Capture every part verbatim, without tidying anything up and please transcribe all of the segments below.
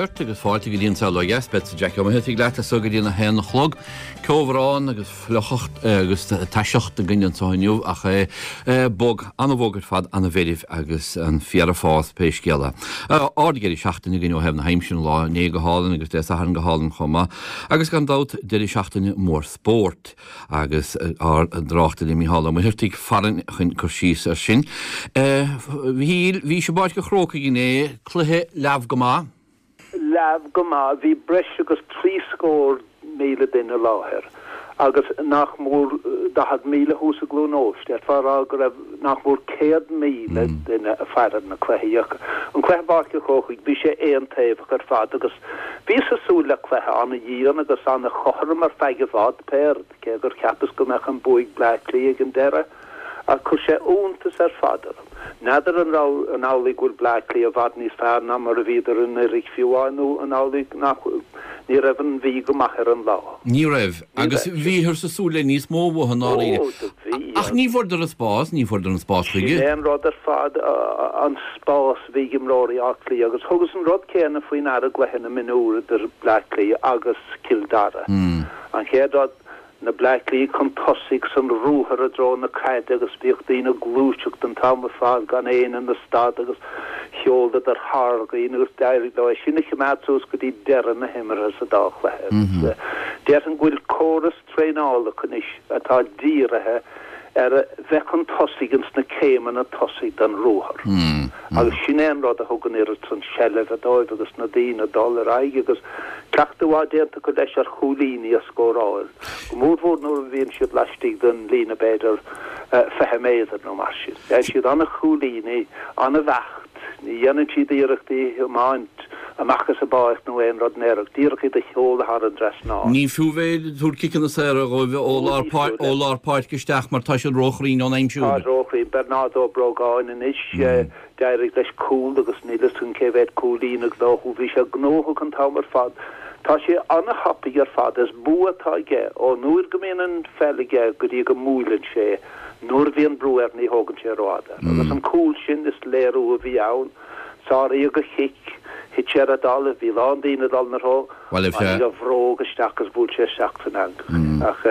ort agus fáilte go dtí An Saol Ó Dheas, beadsa Jackie Ó Muircheartaigh leat as so go dtí a haon a chlog. Ceobhrán agus fliuchacht agus taiseacht againn anseo inniu ach é bog, an-bhog ar fad, an-mheirbh agus an féar ag fás pé scéal é. Ard-dheireadh seachtaine againn ó thaobh na haimsire an lá inné go hálainn agus Dé Sathairn go hálainn chomh maith agus gan dabht deireadh seachtaine mór spóirt agus ár dtráchtaire Mícheál Ó Muircheartaigh farainn chun cur síos air sin. Mhíchíl, bhís i bPáirc an Chrócaigh inné, cluiche leamh go maith. Leamh go maith. Bhí breis agus trí scór míle duine i láthair agus nach mór daichead míle thuas i gCluain Eois. D'fhéadfá a rá go raibh nach mór céad míle duine ag faire na cluichí. Ach an cluiche i bPáirc an Chrócaigh, bhí sé aontaobhach ar fad agus bhíos ag súil le cluiche an-dhian agus an-chothrom ar feadh i bhfad, pé rud, cé gur cheapas go mbeadh an bua ag Bleá Cliath ag an deireadh. Ach chuir sé iontas ar fad orm. N'fheadar an raibh, an amhlaidh go bhfuil Bleá Cliath i bhfad níos fearr ná mar a bhíodar anuraidh fiú amháin nó an amhlaidh nach, ní raibh an Mhí go maith ar an lá. Ní raibh. Agus bhíothar ag súil le níos mó uathu i ndáiríre. Ó, do bhí. Ach ní bhfuaireadar an spás, ní bhfuaireadar an spás chuige. Sin é an rud ar fad, an spás a bhí ag imreoirí Átha Cliath agus thugas an rud céanna faoi ndeara i gcluiche na mionúr idir Bleá Cliath agus Cill Dara. An chéad rud, na Bleá Cliath chun tosaigh san ruathar i dtreo na caide agus bhíodh daoine ag gluaiseacht an t-am ar fad gan éinne ina stad agus sheoladar thar dhaoine agus d'éirigh leo é sin a choimeád suas go dtí deireadh na himeartha sa dá chluiche agus déarfainn go bhfuil córas traenála acu anois atá dírithe ar bheith chun tosaigh ins na céimeanna tosaigh den ruathar. Agus sin é an rud a thug an oiread san seilbhe dóibh agus na daoine ag dul ar aghaidh agus cleachtadh mhaith déanta acu leis ar chúilíní a scóráil, go mórmhór nuair a bhíonn siad laistigh den líne b'fhéidir fiche méadar nó mar sin. Faigheann siad an-chúilíní, an-bheacht. Ní dhéanann siad iarrachtaí a thiomáint amach as an bpáirc nó aon rud in aon chor, díreach iad a sheoladh thar an dtrasnán. Ní fiú bheith ag tabhairt ciceanna saora dhóibh ó lár ó lár páirce isteach mar tá siad róchruinn ón aimsiú. Tá róchruinn. Bernard Ó Brógáin anois, d'éirigh leis cúl agus níl fhios agam cé mhéad cúilín a ghnóthú. Bhí sé gnóthach an t-am ar fad. Tá sé an-thapaidh ar fad. Is bua atá aige ón uair go mbíonn an pheil aige go dtí go mbuaileann sé. Nuair a bhíonn brú air ní thógann sé rófhada. Agus an cúl sin, is léiriú a bhí ann. Sáraíodh a chic, thit sé ar an dtalamh, bhí a lán daoine ag dul ina threo, tháinig a bhróg isteach agus bhuail sé isteach san eangach. Ach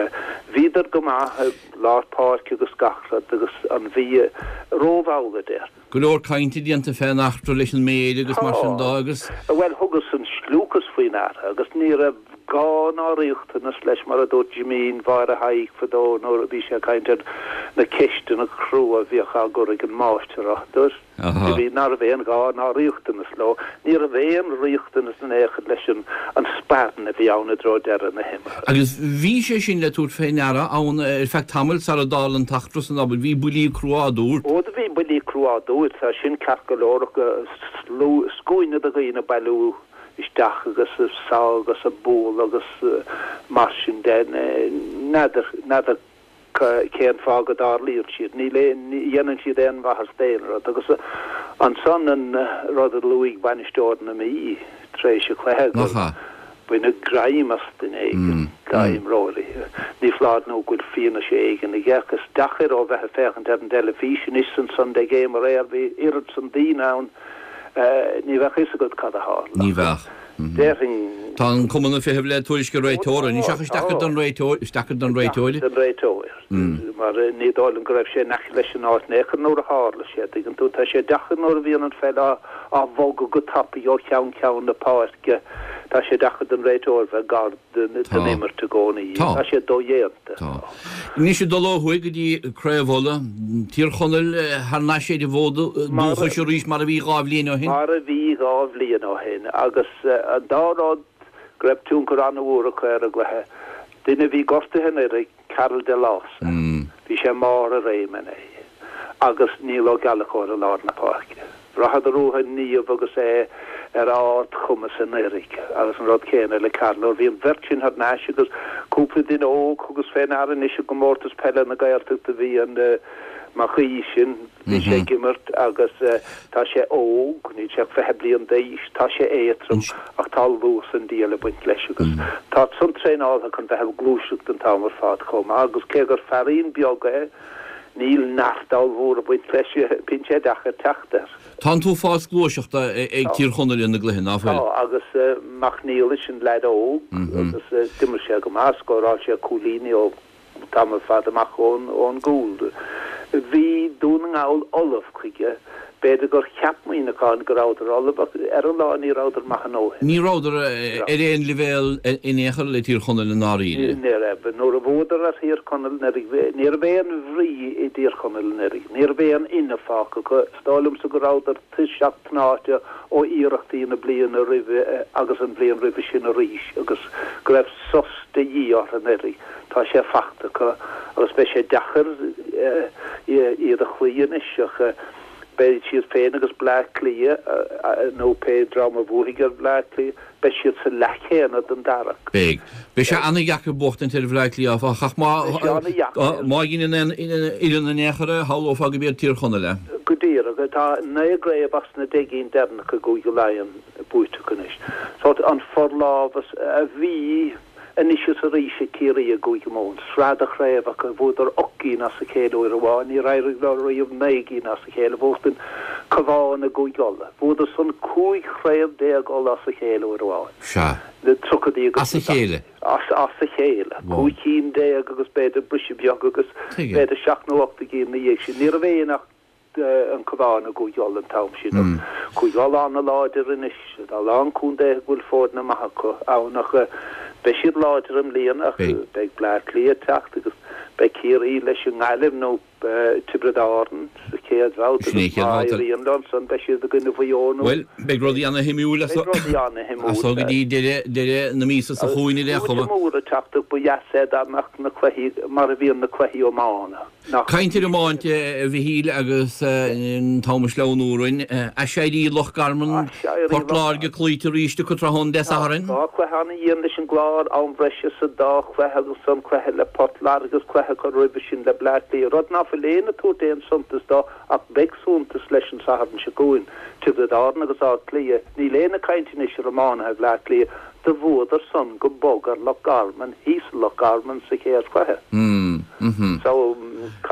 bhíodar go maith i lár páirce agus gach rud agus an Mhí rómhall, a déarfainn. Go leor cainte déanta fén eachtra leis an méir agus mar sin de agus. Bhuel, thugas an scliúchas faoi ndeara agus ní raibh gá ná riachtanas leis, mar a dúirt Jimín Mháire Thaidhg fadó nuair a bhí sé ag caint ar na ceisteanna crua a bhíodh á gcur ag an máistir orthu. Dúirt Jimín ná raibh aon ghá ná riachtanas leo. Ní raibh aon riachtanas in aon chor leis an spairn a bhí ann i dtreo deireadh na himeartha. Agus bhí sé sin le tabhairt fé ndeara ann ar feadh tamaill sara dtarla an t-eachtra san, abair, bhí buillí crua á dtabhairt. Ó do bhí buillí crua á dtabhairt, tá sin ceart go leor ach scuaine de dhaoine ag bailiú isteach agus ag sá agus ag bualadh agus mar sin de. N'fheadar, n'fheadar cén fáth go dtarlaíonn siad. Ní dhéanann siad aon mhaitheas d'aon rud. Agus ansan an rud a luaigh bainisteoir na Mí tar éis an chluiche, gur baineadh greim as duine éigin dá imreoirí. Ní foláir nó go bhfuil fianaise éigin aige ach is deacair ó bheith ag féachaint ar an dteilifís anois san Sunday Game aréir, bhí oiread san daoine ann, Ní bheadh fhios agat cad a tharla. Ní bheadh. Déarfainn. Tá an cumann ag feitheamh le tuairisc an réiteora anois ach is deacair don réiteoir, is deacair don réiteoir. Don réiteoir. Mar ní dóigh liom go raibh sé in aice leis an áit in aon chor nuair a tharla sé, tuigeann tú. Tá sé deacair nuair a bhíonn an pheil á bhogadh go tapaidh ó cheann ceann na páirce, tá sé deacair don réiteoir bheith gar den imirt i gcónaí. Tá. Tá sé dodhéanta. Tá. Anois ag dul ó thuaidh go dtí Craobh Uladh, Tír Chonaill thar n-ais ar a bhfód dúchais arís mar a bhí dhá bhliain ó shin. Mar a bhí dhá bhliain ó shin agus an dá rud go raibh tionchar an-mhór acu ar an gcluiche. Duine a bhí gortaithe anuraidh, Karl Delása, bhí sé i mbarr a réime inné agus Niall Ó Gallchóir i lár na páirce. Bhraitheadar uathu Niamh agus é ar ardchumas anuraidh agus an rud céanna le Karl. Nuair a bhí an bheirt sin thar n-ais agus cúpla duine óg, thugas fé ndeara anois i gComórtas Peile na Gaeltachta bhí an Mac Aoidh sin, bhí sé ag imirt agus tá sé óg, níl sé ach fiche bliain d'aois, tá sé éadtrom ach tá luas an diabhail ag baint leis agus tá san traenáltha chun bheith ag gluaiseacht an t-am ar fad chomh maith agus cé gur feairín beag é, Níl neart ollmhór ag baint leis, bíonn sé deacair teacht air. Tá an t-uafás gluaiseachta ag Tír Chonaill ina gcluiche, ná fuil? Tá, agus Mac Niallais, an leaid óg, agus d'imir sé go maith, scóráil sé cúilíní ó tamall fada amach ón gcúl. Bhí Dún na nGall ullamh chuige. B'fhéidir gur cheap Muineachán go rabhadar ullamh ach ar an lá ní rabhadar maith a ndóthain. Ní rabhadar ar aon leibhéal in aon chor le Tír Chonaill i ndáiríre. Ní raibh. Nuair a bhuadar ar Thír Chonaill anuraidh, ní raibh aon bhrí i dTír Chonaill anuraidh. Ní raibh aon fhuinneamh fágtha acu. Is dóigh liomsa go rabhadar tuirseach tnáite ó iarrachtaí na bliana roimhe agus an bhliain roimhe sin arís agus go raibh sos de dhíth orthu anuraidh. Tá sé fachta acu agus beidh sé deacair iad a chloí anois ach beidh siad féin agus Bleá Cliath, nó pé dream a bhuafaidh ar Bhleá Cliath, beidh siad sa leath chéanna den dara. Beidh. Beidh sé an-dheacair buachtaint ar Bhleá Cliath, áfach, ach má má dheineann aon fhoireann in aon chor é, shamhlófá go b'iad Tír Chonaill é. Go díreach. Tá naoi gcraobh as na deich gcinn deireanacha i gCúige Laighean buaite acu anois. Sórt an forlámhas a bhí. Anois is arís ag Ciarraí i gCúige Mumhan, sraith de chraobhacha, bhuadar ocht gcinn as a chéile uair amháin, níor éirigh leo riamh naoi gcinn as a chéile a bhuachtain, Cabhán i gCúige Uladh, bhuadar san cúig chraobh déag Uladh as a chéile uair amháin. Sea. Na tríochaidí agus As a chéile? As as a chéile. Cúig cinn déag agus b'fhéidir briseadh beag agus Tuigim. b'fhéidir seacht nó ocht gcinn ina dhiaidh sin. Ní raibh aon ach an Cabhán i gCúige Uladh an t-am sin ach Cúige Uladh an-láidir anois. Tá a lán contaetha go bhfuil foirne maithe acu ann ach beidh siad láidir i mbliana ach beidh Bleá Cliath ag teacht agus beidh Ciarraí leis an nGaillimh nó Tiobraid Árann sa chéad bhabhta agus má éiríonn leo ansan beidh siad i gcoinne Mhaigh Eo nó Bhuel, beidh rudaí ana-shuimiúil as so go dtí deireadh deireadh na míosa seo chugainn ar aon chuma. Agus mór ag teacht ach ba dheas é dá mbeadh na cluichí mar a bhíonn na cluichí iomána. Nach. Caint ar iomáint, a Mhichíl, agus an t-am ag sleamhnú orainn. Aiséirí Loch Garman, Port Láirge cloíte arís acu tráthnóna Dé Sathairn. Dhá chluiche an-dhian leis an gClár, am bhreise sa dá chluiche agus an cluiche le Port Láirge agus cluiche acu roimhe sin le Bleá Cliath, rud ná fuil éinne ag tabhairt aon suntas dó ach beidh suntas leis an Satharn seo chugainn. Tiobraid Árann agus Áth Cliath, níl éinne ag caint anois ar iománaithe Bhleá Cliath, Do bhuadar san go bog ar Loch Garman, thíos i Loch Garman sa chéad chluiche. So,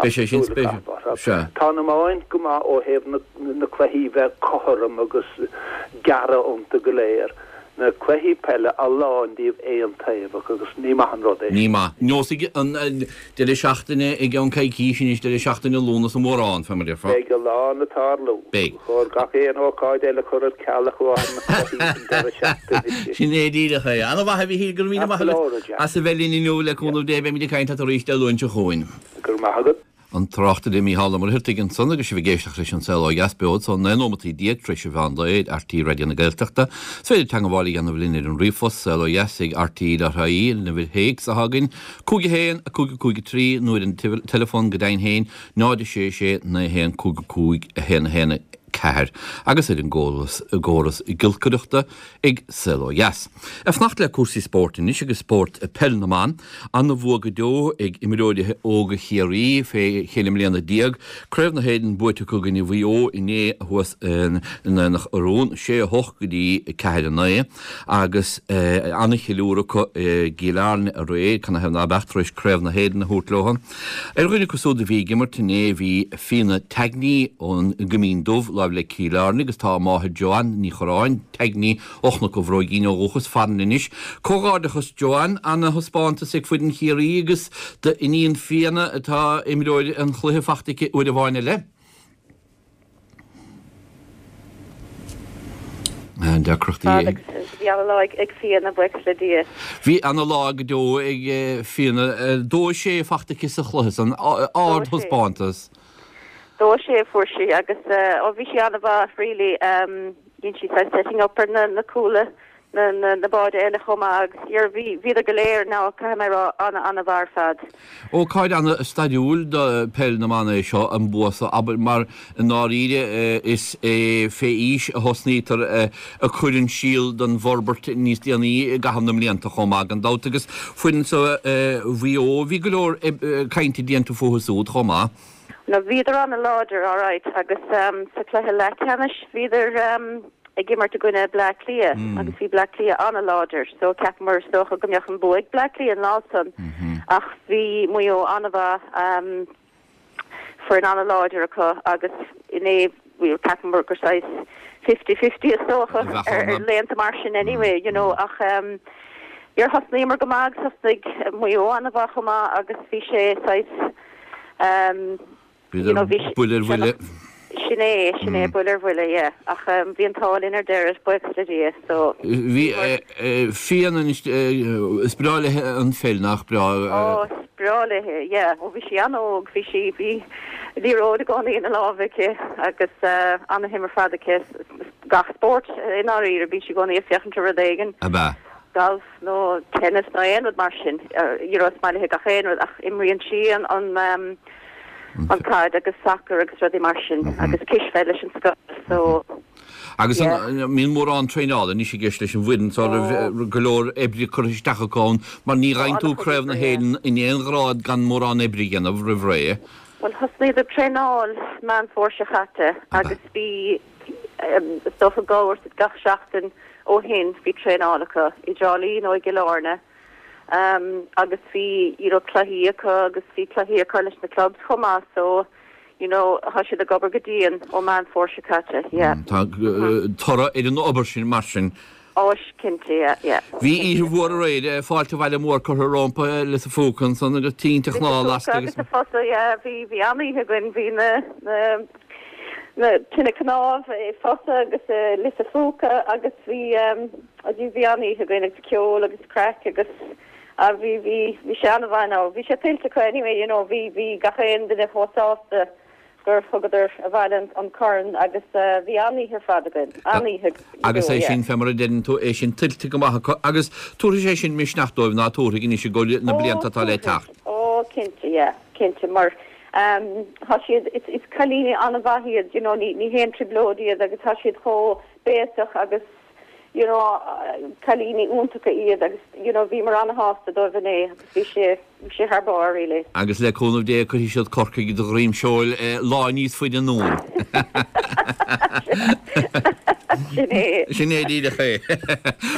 Beidh sé caithfidh sin súil a spéisiúil. chaitheamh orthu. Sea. Tá an iomáint go maith ó thaobh na na cluichí bheith cothrom agus gearradh iontu go léir. Na cluichí peile, a lán díobh aontaobhach agus ní maith an rud é Ní sin. maith. Neosfaidh an deireadh seachtaine i gceann coicíse anois, deireadh seachtaine Lúnasa mórán, fé mar a déarfá. Beidh a lán ag tarlú. Beidh. Ba chóir gach aon ócáid eile a chur ar ceal ach amháin na cluichí san deireadh seachtaine. Sin é díreach é. Ana-mhaith a Mhichíl, go raibh míle As maith go agat leor, a Jack. as a bheith linn inniu, le cúnamh Dé beimid ag caint leat arís Dé Luain seo chugainn. Go raibh maith agat. An tráchtaire Mícheál Ó Muircheartaigh ansan agus sibh ag éisteacht leis An Saol Ó Dheas beo anso naoi nóimeataí déag tar éis an mheán lae ar RTÉ Raidió na Gaeltachta. Is féidir teagmháil a dhéanamh linn ar an ríomhphost, saolodheas ag rte dot ie, an uimhir théacs atá againn, cúig a haon, a cúig a cúig a trí, nó ar an teileafón go deimhin féin, náid a sé sé, naoi a haon, cúig a cúig, a haon a haon a ceathair, agus ar an gcóras gcóras giolcaireachta ag Saol Ó Dheas. Ag fanacht le cúrsaí spóirt anois agus spórt peil na mban, ana-bhua go deo ag imreoirí óga Chiarraí fé cheithre mbliana déag, Craobh na hÉireann buaite acu i gcoinne Mhaigh Eo inné thuas in Aonach Urmhumhan, sé a hocht go dtí ceathair a naoi, agus ana-cheiliúradh acu i gCill Airne aréir, canathaobh ná beadh, tar éis Craobh na hÉireann a thabhairt leo. Ar dhuine acu súd a bhí ag imirt inné bhí Fiona Tagney ón gCoimín Dubh, láimh le Cill Airne agus tá a máthair Joanne Ní Chorráin, Tagney, ó Chnoc an Bhróigín ó dhúchas farainn anois. Comhghairdeachas Joanne, ana-thaispeántas ag foireann Chiarraí agus d'iníon Fiona atá imreoir an chluiche fachta aici uair amháin eile. Deacrachtaí ag. Bhí ana-lá ag Fiona, buíochas le Dia. Bhí ana-lá go deo ag Fiona. Dó a sé fachta aici sa chluiche san, ardthaispeántas. Dó a sé a fuair sí agus ó bhí sí an-mhaith really. Dhein sí saghas setting up ar na na cúla na na na báid eile chomh maith agus yeah bhí bhíodar go léir now caithfidh mé a rá ana ana mhaith ar fad. Ócáid ana stairiúil do peil na mban é seo an bua so abair mar i ndáiríre is é fé aois a thosnaítear ag cur an síol don bhforbairt níos déanaí i gcaitheamh na mblianta chomh maith gan dabht agus foireann so Mhaigh Eo bhí go leor cainte déanta fúthu súd chomh maith. No bhíodar an-láidir alright agus sa chluiche leathcheannais bhíodar ag imirt i gcoinne Bleá Cliath agus bhí Bleá Cliath an-láidir so cheapamar is dócha go mbeadh an bua ag Bleá Cliath an lá san ach bhí Maigh Eo an-mhaith. foireann an-láidir acu agus inné we were ceapaim gur saghas fifty fifty is dócha ar ar laethanta mar sin anyway you know ach um yeah thosnaíomar go maith agus thosnaigh Maigh Eo an-mhaith chomh maith agus bhí sé saghas um you know bhí buille ar bhuille. Sin é, sin é, buille ar bhuille, yeah. Ach um, bhí an t-ádh linn ar deireadh, buíochas le Dia, so. Bhí Fianna anois, is breá léi an pheil, nach breá? Ó, is breá léi, yeah. Ó bhí sí an-óg, bhí sí, bhí liathróid i gcónaí ina lámh aici agus uh, an-shuim ar fad aici gach spórt i ndáiríre, bíonn sí i gcónaí ag féachaint ar rud éigin. Ab ea? Golf nó tennis nó aon rud mar sin. You know, is maith léi gach aon rud ach imríonn sí an an um, an caid agus sacar agus rudaí mar sin agus cispheil leis an scoil so Agus an mbíonn mórán traenála anois i gceist leis an bhfoireann seo raibh go leor oibre curtha isteach acu ann mar ní gheibheann tú Craobh na hÉireann in aon ghrád gan mórán oibre a dhéanamh roimh ré. Bhuel thosnaíodar ag traenáil Meán Fómhair seo chaite agus bhí is dócha dhá uair gach seachtain ó shin bhí traenáil acu i dTrá Lí nó i gCill Airne um, agus bhí you know, cluichí acu agus bhí cluichí acu leis na clubs chomh maith so you know, tá siad ag obair go dian ó Meán Fómhair seo caite, yeah. Tá toradh ar an obair sin mar sin. Ó, cinnte, yeah, yeah. Bhí oíche mhór aréir, fáilte abhaile mór curtha rompu i Lios an Phúca ansan agus tinte chnámh lasta agus. Agus a fosa, yeah, bhí bhí an-oíche againn, bhí na na na tine cnámh i Fosa agus i Lios an Phúca agus bhí um, bhí an-oíche againn agus ceol agus craic agus a bhí bhí bhí sé an-mhaith now. Bhí sé tuillte acu anyway, you know, bhí bhí gach aon duine chomh sásta gur thugadar abhaile an, an corn agus uh, bhí an-oíche ar fad againn, an-oíche. Agus é sin fé mar a deireann tú é sin tuillte go maith acu agus tabharfaidh sé sin misneach dóibh ná tabharfaidh anois i gcomhair na blianta atá le teacht. Ó cinnte, yeah, cinnte mar um, tá siad is, is cailíní an-mhaith iad, you know, ní, ní haon trioblóid iad agus tá siad chomh béasach agus you know, cailíní iontacha iad agus you know, bhíomar an-shásta dóibh inné agus bhí sé bhí sé thar barr really. Agus le cúnamh Dé cuirfidh siad Corcaigh de dhroim seoil lá níos faide anonn. Sin é. Sin é díreach é.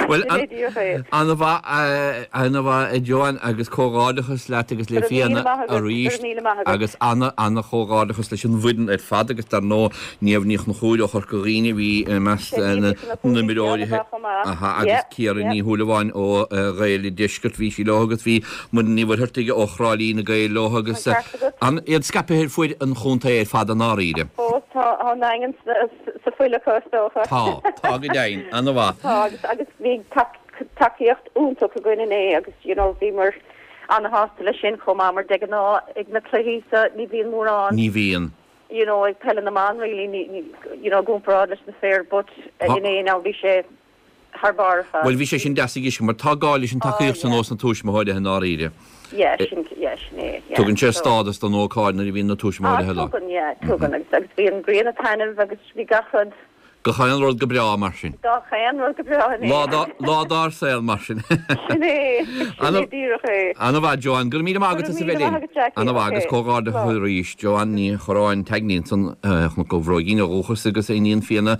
Well Sin é díreach é. An-mhaith an-mhaith a Joanne agus comhghairdeachas leat agus le Go raibh míle Fianna maith agat, go arís raibh míle maith agat. agus ana ana chomhghairdeachas leis an bhfoireann ar fad agus dar ndóigh Niamh Ní Chonchúir ó Chorca Dhuibhne bhí i measc na n-imreoirí Aha agus Ciara Ní Shúilleabháin ó Ghaeil an Deiscirt bhí sí leo agus bhí Muireann Ní Mhuircheartaigh ó Thrá Lí na Gaeil leo agus an iad scaipthe ar fuaid an chontae ar fad i ndáiríre. Ó tá an Daingean sa fuil acu is dócha. Tá, tá go deimhin, an-mhaith. Tá agus agus bhí tacaíocht iontach againn inné agus you know bhíomar an-shásta leis sin chomh maith mar de ghnáth ag na cluichí so ní bhíonn mórán. Ní bhíonn. You know ag peil na mban really ní ní you know i gcomparáid leis na fir but inné now bhí sé thar barr ar fad. Bhuel bhí sé sin deas ag mar tá gá leis an tacaíocht san ós na tuismitheoirí i ndáiríre. Yeah, sin yeah, sin é, yeah. Tugann sé stádas don ócáid nuair a bhíonn na tuismitheoirí Ah, tugann, yeah, tugann agus agus bhí an ghrian ag taitneamh agus bhí gach rud Gach aon rud go breá mar sin. Gach aon rud go breá inné. Lá dá lá dár saol mar sin. Sin é, sin é díreach é. An-mhaith Joanne, go raibh míle maith agat as a bheith linn. An-mhaith agus comhghairdeachas arís Joanne Ní Chorráin Tagney ansan Chnoc an Bhróigín ó dhúchas agus a iníon Fianna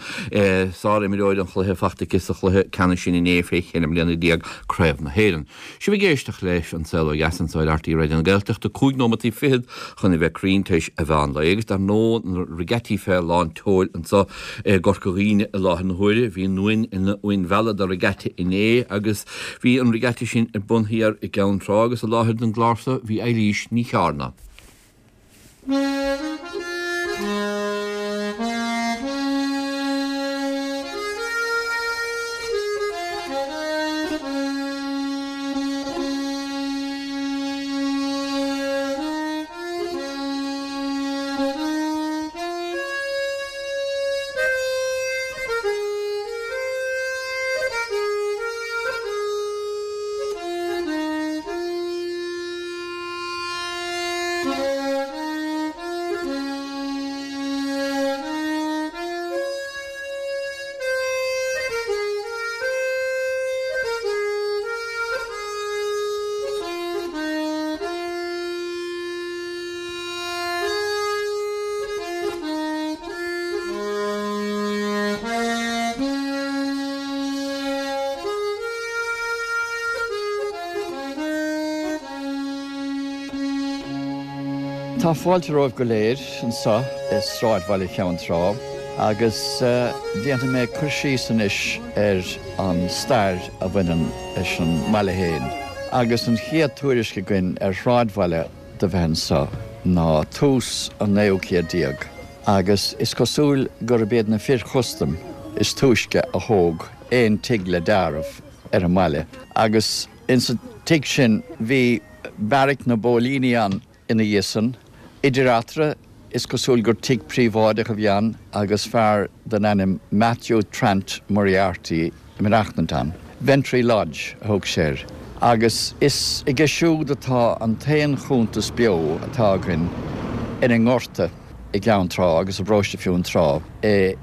sár-imreoir an chluiche faighte aici sa chluiche ceannais sin inné fé cheithre mbliana déag Craobh na hÉireann. Sibh ag éisteacht leis an Saol Ó Dheas anseo ar RTÉ Raidió na Gaeltachta cúig nóimeataí fichead chun a bheith cruinn tar éis an mheán lae agus dar ndóigh na regattaí fé lán tseoil anseo i gCorca Dhuibhne i láthair na huaire. Bhí an Uain ina uain mheala do regatta inné agus bhí an regatta sin ar bun thiar i gCeann Trá agus i láthair don gclár seo bhí Eilís Ní Chearna. Tá fáilte romhaibh go léir anseo i sráidbhaile Cheann Trá agus déanfaidh mé cur síos anois ar an stair a bhaineann leis an mbaile féin. Agus an chéad tuairisc againn ar shráidbhaile do bheith anseo ná tús an naoú céad déag agus is cosúil gurb iad na fir chustaim is túisce a thóg aon tigh le deáramh ar an mbaile agus insa tigh sin bhí beairic na bpóilíní ann ina dhiaidh san. Idir eatarthu, is cosúil gur tigh príobháideach a bhí ann agus fear den ainm Matthew Trant Moriarty ag maireachtaint ann. Ventry Lodge a thug sé air. Agus is aige siúd atá an t-aon chuntas beo atá againn ar an ngorta i gCeann Trá agus i bparóiste Fionntrá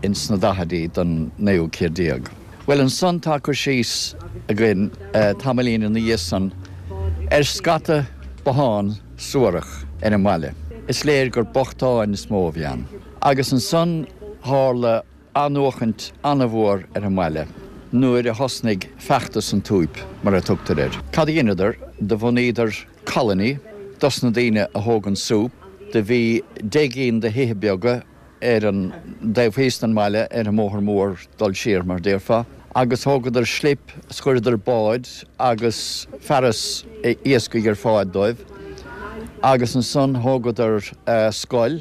ins na daichidí den naoú céad déag. Bhuel, ansan tá cur síos againn tamaillín ina dhiaidh san ar scata bothán suarach ar an mbaile. Is léir gur bochtáin is mó a bhí ann. Agus ansan tharla athnuachaint an-mhór ar an mbaile nuair a thosnaigh feachtas an tSúip, mar a tugtar air. Cad a dheineadar? Do bhunaíodar colony dos na daoine a thóg an súp. Do bhí deich gcinn de thithe beaga ar an dtaobh thíos den mbaile, ar an mbóthar mór dul siar, mar déarfá, agus thógadar slip 's chuireadar báid agus fearas iascaigh ar fáil dóibh agus ansan thógadar scoil.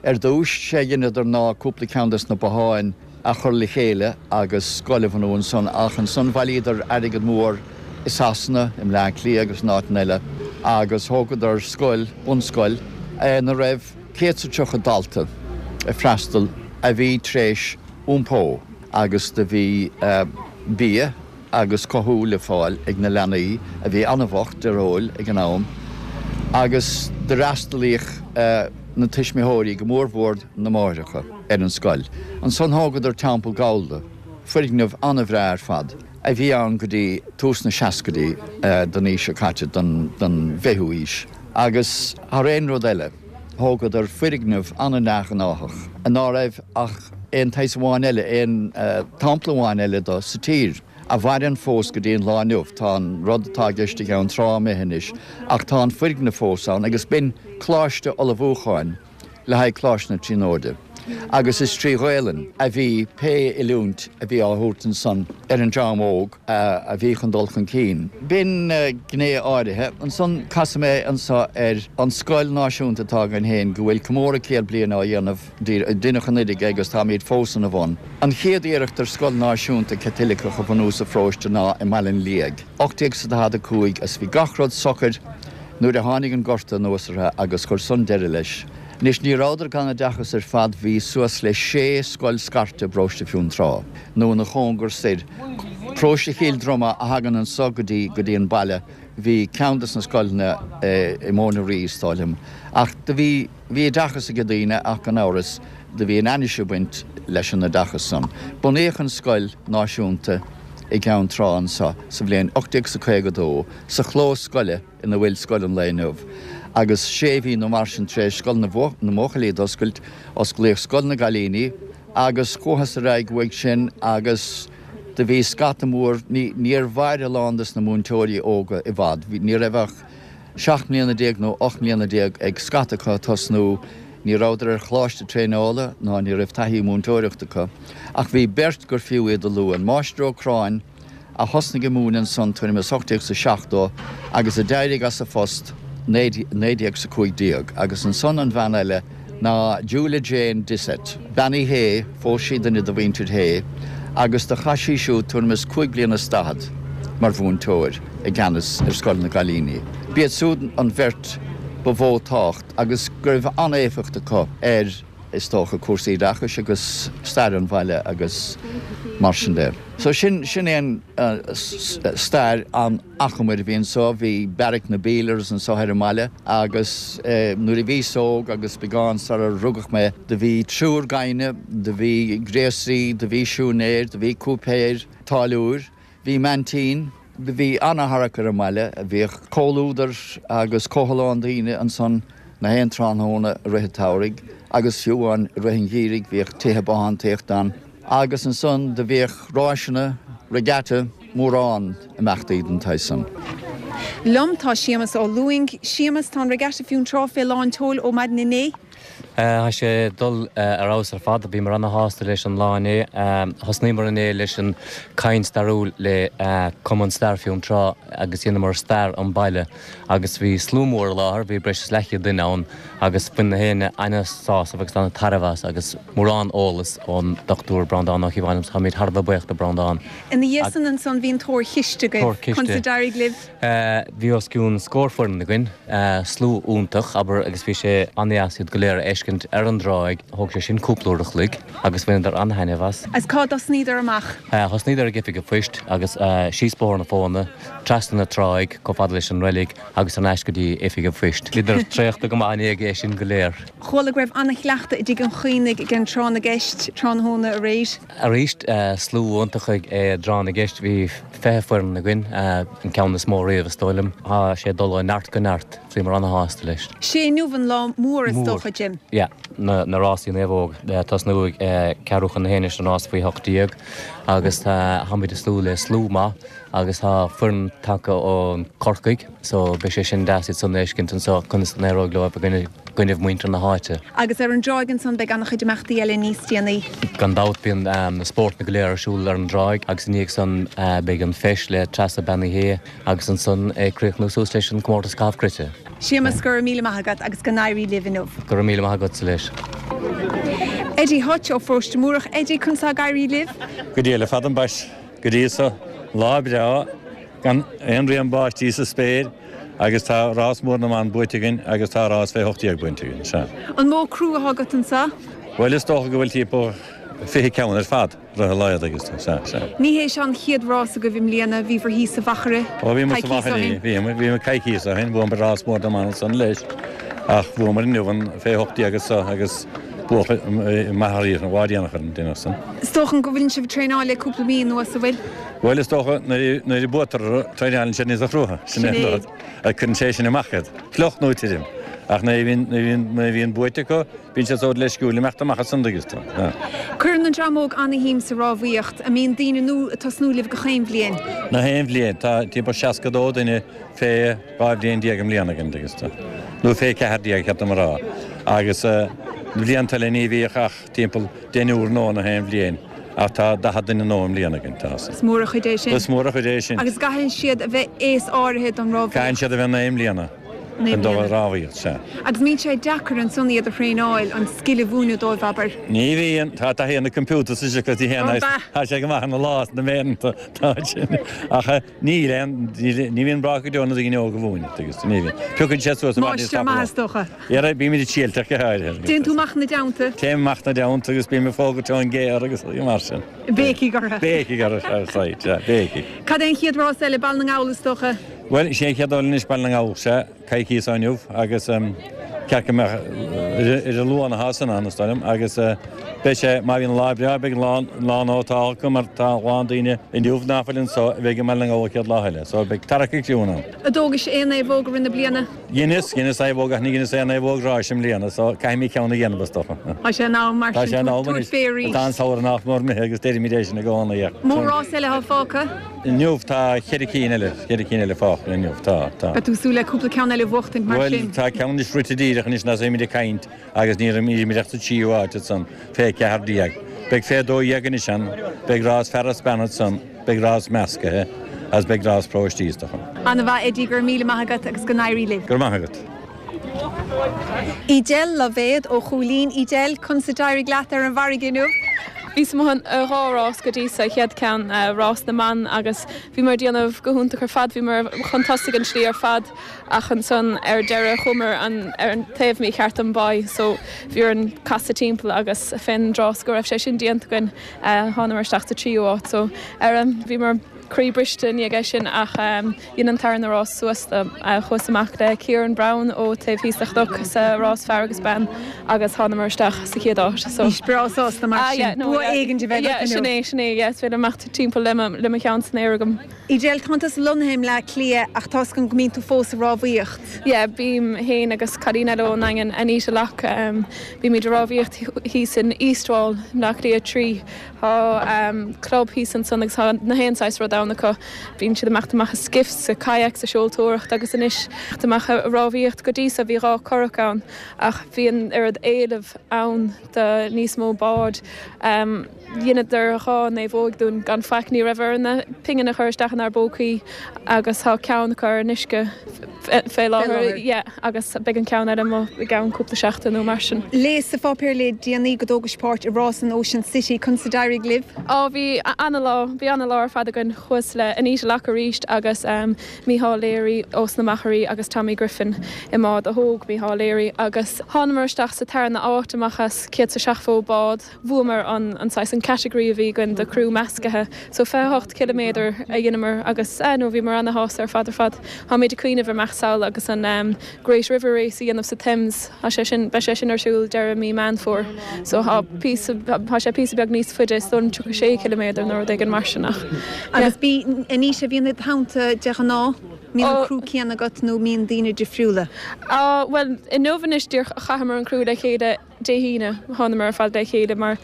Ar dtúis, sé a dheineadar ná cúpla ceann des na botháin a chur le chéile agus scoil a bhunú ansan ach ansan bhailíodar airgead mór i Sasana, i mBleá Cliath agus in áiteanna eile agus thógadar scoil, bunscoil, ina raibh céad 's a tríocha dalta ag freastal a bhí tréis iompó agus do bhí bia agus cothú le fáil ag na leanaí a bhí an-bhocht dearóil ag an am agus d'fhreastalaíodh na tuismitheoirí, go mórmhór na máithreacha, ar an scoil. Ansan thógadar Teampall Gallda, foirgneamh an-bhreá ar fad a bhí ann go dtí tús na seascaidí den aois seo caite, den bhfichiú haois, agus thar aon rud eile, thógadar foirgneamh an-neamhghnáthach ná raibh ach aon tsaghas amháin eile, aon tsampla amháin eile do sa tír, a mhaireann fós go dtí an lá inniu. Tá an rud atá i gceist i gCeann Trá imithe anois ach tá an foirgneamh fós ann agus b'in coláiste ullmhúcháin le haghaidh Coláiste na Tríonóide agus is trí Ghaelainn a bhí pé oiliúint a bhí á thabhairt ansan ar an dream óg a bhí chun dul chun cinn. B'in gné áirithe. Ansan casfaidh mé anso ar an scoil náisiúnta atá againn féin go bhfuil comóradh céad bliain á dhéanamh, deineadh anuraidh é agus táimid fós ina bhun. An chéad iarracht ar scoil náisiúnta Chaitliceach a bhunú sa pharóiste ná i mBaile an Liaigh, ocht déag 's a daichead a cúig agus bhí gach rud socair nuair a tháinig an Gorta anuas orthu agus chuir san deireadh leis. Anois, ní rabhadar gan oideachas ar fad, bhí suas le sé scoil scairte i bparóiste Fionntrá, nó ina chóngar soir. Paróiste Chill Droma a thagann anso go dtí, go dtí an baile, bhí ceann des na scoileanna i Móin an Rí, is dóigh liom. Ach do bhí, bhí oideachas ag daoine ach gan amhras, do bhí an ainnise ag baint leis an oideachas san. Bunaíodh an scoil náisiúnta i gCeann Trá anso sa bhliain ocht déag 's a caoga dó, sa chlós scoile, ina bhfuil scoil an lae inniu, agus sé mhí nó mar sin tar éis scoil na mbuachaillí d'oscailt, osclaíodh scoil na gcailíní agus chuathas ar aghaidh uaidh sin agus do bhí scata mór, ní, níor mhair a lán des na múinteoirí óga i bhfad, ní raibh ach seacht mbliana déag nó ocht mbliana déag ag scata acu ag tosnú, ní rabhadar ar choláiste traenála ná ní raibh taithí múinteoireachta acu, ach bhí beirt gur fiú iad a lua, an Máistir Ó Cráin, a thosnaigh ag múineadh ansan tuairim is ocht déag 's a seachtó agus a d'éirigh as a phost naoi déag 's a cúig déag agus ansan an bhean eile ná Julia Jane Dissett, bean Uí Shé, phós sí duine de mhuintir Shé agus do chaith sí siúd tuairim is cúig bliana is daichead mar mhúinteoir i gceannas ar scoil na gcailíní. B'iad siúd an bheirt ba mhó tábhacht agus go raibh an-éifeacht acu ar. is dócha, cúrsaí oideachais agus stair an bhaile agus mar sin de. So sin, sin é an stair an-achomair a bhí anso. Bhí beairic na bPeelers anso ar an mbaile agus nuair a bhíos óg agus beagán sarar rugadh mé, do bhí triúr gaibhne, do bhí gréasaí, do bhí siúinéir, do bhí cúipéir, táilliúir. Bhí maintín. Do bhí ana-tharrac ar an mbaile. Bhíodh comhluadar agus comhthollán daoine ansan na haon tráthnóna i rith an tsamhraidh agus fiú amháin i rith an gheimhridh bhíodh tithe bothántaíochta ann. Agus ansan do bhíodh ráiseanna, regatta, mórán imeachtaí den tsaghas san. Liom tá Séamus Ó Lúing. Séamus tá Regatta Fionntrá fé lán tseoil ó maidin inné. Tá sé dul ar fheabhas ar fad, bhíomar ana-shásta leis an lá inné. Thosnaíomar inné leis an caint stairiúil le Cumann Stair Fionntrá agus dheineamar stair an baile agus bhí slua mór i láthair, bhí breis is leathchéad duine ann agus bhain na héinne ana-sásamh agus ana-tairbhe as agus mórán eolas ón Dochtúir Breandán Ó Cíobháin agus táimid thar a bheith buíoch de Breandán. Ina dhiaidh san ansan bhí an tóir chiste agaibh. Tóir chiste. Conas a d'éirigh libh? Bhí os cionn scór foireann againn, slua iontach, abair, agus bhí sé an-deas iad go léir a fheiscint ar an dtráigh. Thóg sé sin cúpla uair a chloig agus bhaineadar an-thaitneamh as. As cá dtosnaíodar amach? Thosnaíodar ag Oifig an Phoist agus síos Bóthar na Fóna, trasna na tráigh, chomh fada leis an reilig agus thar n-ais go dtí Oifig an Phoist. Bhíodar traochta go maith i ndiaidh é sin go léir. Chuala go raibh an-chleachtadh i dTigh an Chaonaigh ag an Tráth na gCeist tráthnóna aréir. Arís, slua iontach ag dTráth na gCeist. Bhí fiche foireann againn, an ceann is mó riamh is dóigh liom. Tá sé ag dul ó neart go neart. Bhíomar ana-shásta leis. Sé inniu an lá mór is dócha, Jim. Yeah, na na rásaí naomhóg. Tosnú ag ceathrú chun a haon leis an rás faoi hocht déag agus táimid ag súil le slua maith agus tá foireann tagtha ó Corcaigh so beidh sé sin deas iad san a fheiscint anseo conas a n-éireoidh leo i gcoinnibh muintir na háite. Agus ar an dtráigh ansan beidh an-chuid imeachtaí eile níos déanaí. Gan dabht bíonn na spórtanna go léir ar siúl ar an dtráigh agus i ndiaidh san beidh an feis le Treasa Bean Uí Shé agus ansan ag críochnú suas leis an comórtas caitheamh cruite. Séamus, go raibh míle maith agat agus go n-éirí libh inniu. Go raibh míle maith agatsa leis. Eddie Hutch ó Pharóiste Múrach. Eddie, conas tá ag éirí libh? Go diail fada ambaist go dtí so, lá breá gan aon rian báistí sa spéir agus tá rás mór na mban buaite againn agus tá rás fé hocht déag buaite againn, sea. An mó criú atá agat anseo? Bhuel, is dócha go bhfuil timpeall fiche ceann ar fad, ar a laghad agus, sea, sea. Ní hé seo an chéad rás agaibh i mbliana, bhíobhair thíos sa Mhachaire Ó, bhíomar sa coicíos ó Mhachaire, shin. bhíomar, bhíomar coicíos ó shin, bhuamar rás mór na mban ansan leis, ach bhuamar inniu an fé hocht déag anseo agus buadh maith arís, an bhfad dhéanach ar an duine san. Is dócha go bhfuil sibh ag traenáil le cúpla mí anuas, an bhfuil? Bhuel, is dócha nuair nuair a buatar traenálann siad níos crua, sin é an rud. Cuireann sé sin amach iad, fliuch nó tirim. Ach nuair a bhíonn, nuair a bhíonn, nuair a bhíonn buaite acu, bíonn siad sórt leisciúil imeacht amach as an dtuigeann tú. Cuireann an dream óg ana-shuim sa rámhaíocht. An mbíonn daoine nua ag tosnú libh gach aon bhliain? Nach aon bhliain. Tá timpeall seasca dó duine fé dhá bhliain déag i mbliana againn, dtuigeann tú. Nó fé ceathair déag, cheart dom a rá. Agus na blianta eile ní bhíodh ach timpeall deichniúr nua nach aon bhliain. Ach tá daichead duine nua i mbliana againn, tá. Is mór an chuid é sin. Is mór an chuid é sin. Agus gcaithfidh siad a bheith aos áirithe don rámhaíocht? Caithfidh siad a bheith naoi mbliana chun dul ag rámhaíocht, sea. Agus mbíonn sé deacair ansan iad a thraenáil, an scil a mhúineadh dóibh, abair? Ní bhíonn. Tá taithí ar na computers anois acu, ní théann, tá sé go maith ina lá is na méireanta, tá sin. Ach níl aon, ní bhíonn brách go deo na daoine óga a mhúineadh, tuigeann tú, ní bhíonn. Piocann siad suas i bhfad níos Máistir tapúla. maith, is dócha. Dhera, bímid ag triailteach go háirithe. Téann tú amach ina dteannta? Téim amach ina dteannta agus bím ag fógairt ón gcéar agus mar sin. Béicigh orthu. Béicigh orthu, ar sight, sea, béicigh. Cad é an chéad rás eile, Baile na nGall, is dócha? Bhuel, is é an chéad dul anois Baile na nGall, sea, coicíos ó inniu agus ceart go mbeadh ar an Luan atá san ann, is dóigh liom, agus beidh sé, má bhíonn lá breá, beidh an lán ótal acu mar tá a lán daoine inniu ná fuil anso a bheidh i mBaile na nGall an chéad lá eile, so beidh tarrac ag criúnna ann. An dtógais aon naomhóg i rith na bliana? Dheineas, dheineas naomhóg ach ní dheineas aon naomhóg ráis i mbliana, so caithfidh mé ceann a dhéanamh is dócha. Tá sé in am mar Tá sin sé in am tabhairt anois. fé arís. Tá an samhradh nach mór imithe agus deirimid é sin i gcónaí ach. Mó rás eile atá fágtha? Inniu tá ceithre cinn eile, ceithre cinn eile fágtha inniu, tá, tá. Beidh tú ag súil le cúpla ceann eile a bhuachtaint mar Bhuel, sin? tá ceann anois rite díreach anois nuair a bhímid ag caint agus ní raibh ach sa tríú háit ansan, fé ceathair déag. Beidh fé dó dhéag anois ann, beidh rás fear is bean ansan, beidh rás meascaithe agus beidh rás paróistí is dócha. Ana-mhaith Eddie, go raibh míle maith agat agus go n-éirí libh. Go raibh maith agat. Edel Loibhéad ó Chúilín. Edel, conas a d'éirigh leat ar an bhfarraige inniu? Bhíos amuigh ar dhá rás go dtí sa chéad ceann, rás na mban agus bhíomar ag déanamh go hiontach ar fad, bhíomar chun tosaigh an slí ar fad ach ansan ar deireadh chuamar an ar an taobh mícheart den báigh so bhí orainn casadh timpeall agus fén dtráth go raibh sé sin déanta againn thánamar isteach sa tríú háit so ar bhíomar croí briste i ndiaidh é sin ach dhein an tarna rás suas dom. Chuas amach le Kieran Brown ó taobh thíos de chnoc sa rás fear agus bean agus thánamar isteach sa chéad áit. So. Bhís breá sásta mar Ah, sin. yeah, no, Bua yeah. éigin a bheith Yeah, agat sin inniu. é, sin é, yeah, is féidir imeacht timpeall le mo, le mo cheann san aer agam. Edel, tánn tusa lonnaithe i mBleá Cliath ach tá's agam go mbíonn tú fós ag rámhaíocht. Yeah, bím féin agus cailín eile ón nDaingean, Anita Locke, um, bímid ag rámhaíocht thíos in East Wall, Bleá Cliath trí. Tá um, club thíos ansan agus tá na haon saghas rud ann acu. Bíonn siad amach amach i skiffs, sa kayak, sa seoltóireacht agus anois amach ag rámhaíocht go dtí so bhí dhá curach ann ach bhí an oiread éilimh ann do níos mó bád. Um, Dheineadar dhá naomhóg dúinn gan faic ní raibh orainn pingin a chur isteach inár bpócaí agus tá ceann acu ar an uisce fé láthair yeah, agus beidh an ceann eile amuigh i gceann cúpla seachtain nó mar sin. Léas sa pháipéar le déanaí go dtógais páirt i rás an Ocean City conas a d'éirigh libh? Á bhí an-lá bhí an-lá ar fad againn chuas le Anita Locke arís agus um, Micheál Leary ós na Machairí agus Tommy Griffin i mbád a thóg Micheál Leary agus thánamar isteach sa tarna áit amach as céad is seachtó bád bhuamar an an saghas an category a bhí againn de criú measctha so fiche hocht ciliméadar a dheineamar agus eh, nó bhíomar ana-shásta ar fad ar fad. Táimid ag cuimhneamh ar imeacht sall agus an um, Great River Race a dhéanamh sa Thames Tá sé sin beidh sé sin ar siúl deireadh mí Meán Fómhair so tá tá sé píosa beag níos faide is dóigh tríocha sé ciliméadar nó rud éigin mar sin ach. Agus bí Anita bhíonn i do theannta de ghnáth mbíonn an criú céanna agat nó mbíonn daoine difriúla. Uh, well inniu anois díreach chaitheamar an criú le chéile Dé hAoine thánamar ar fad le chéile mar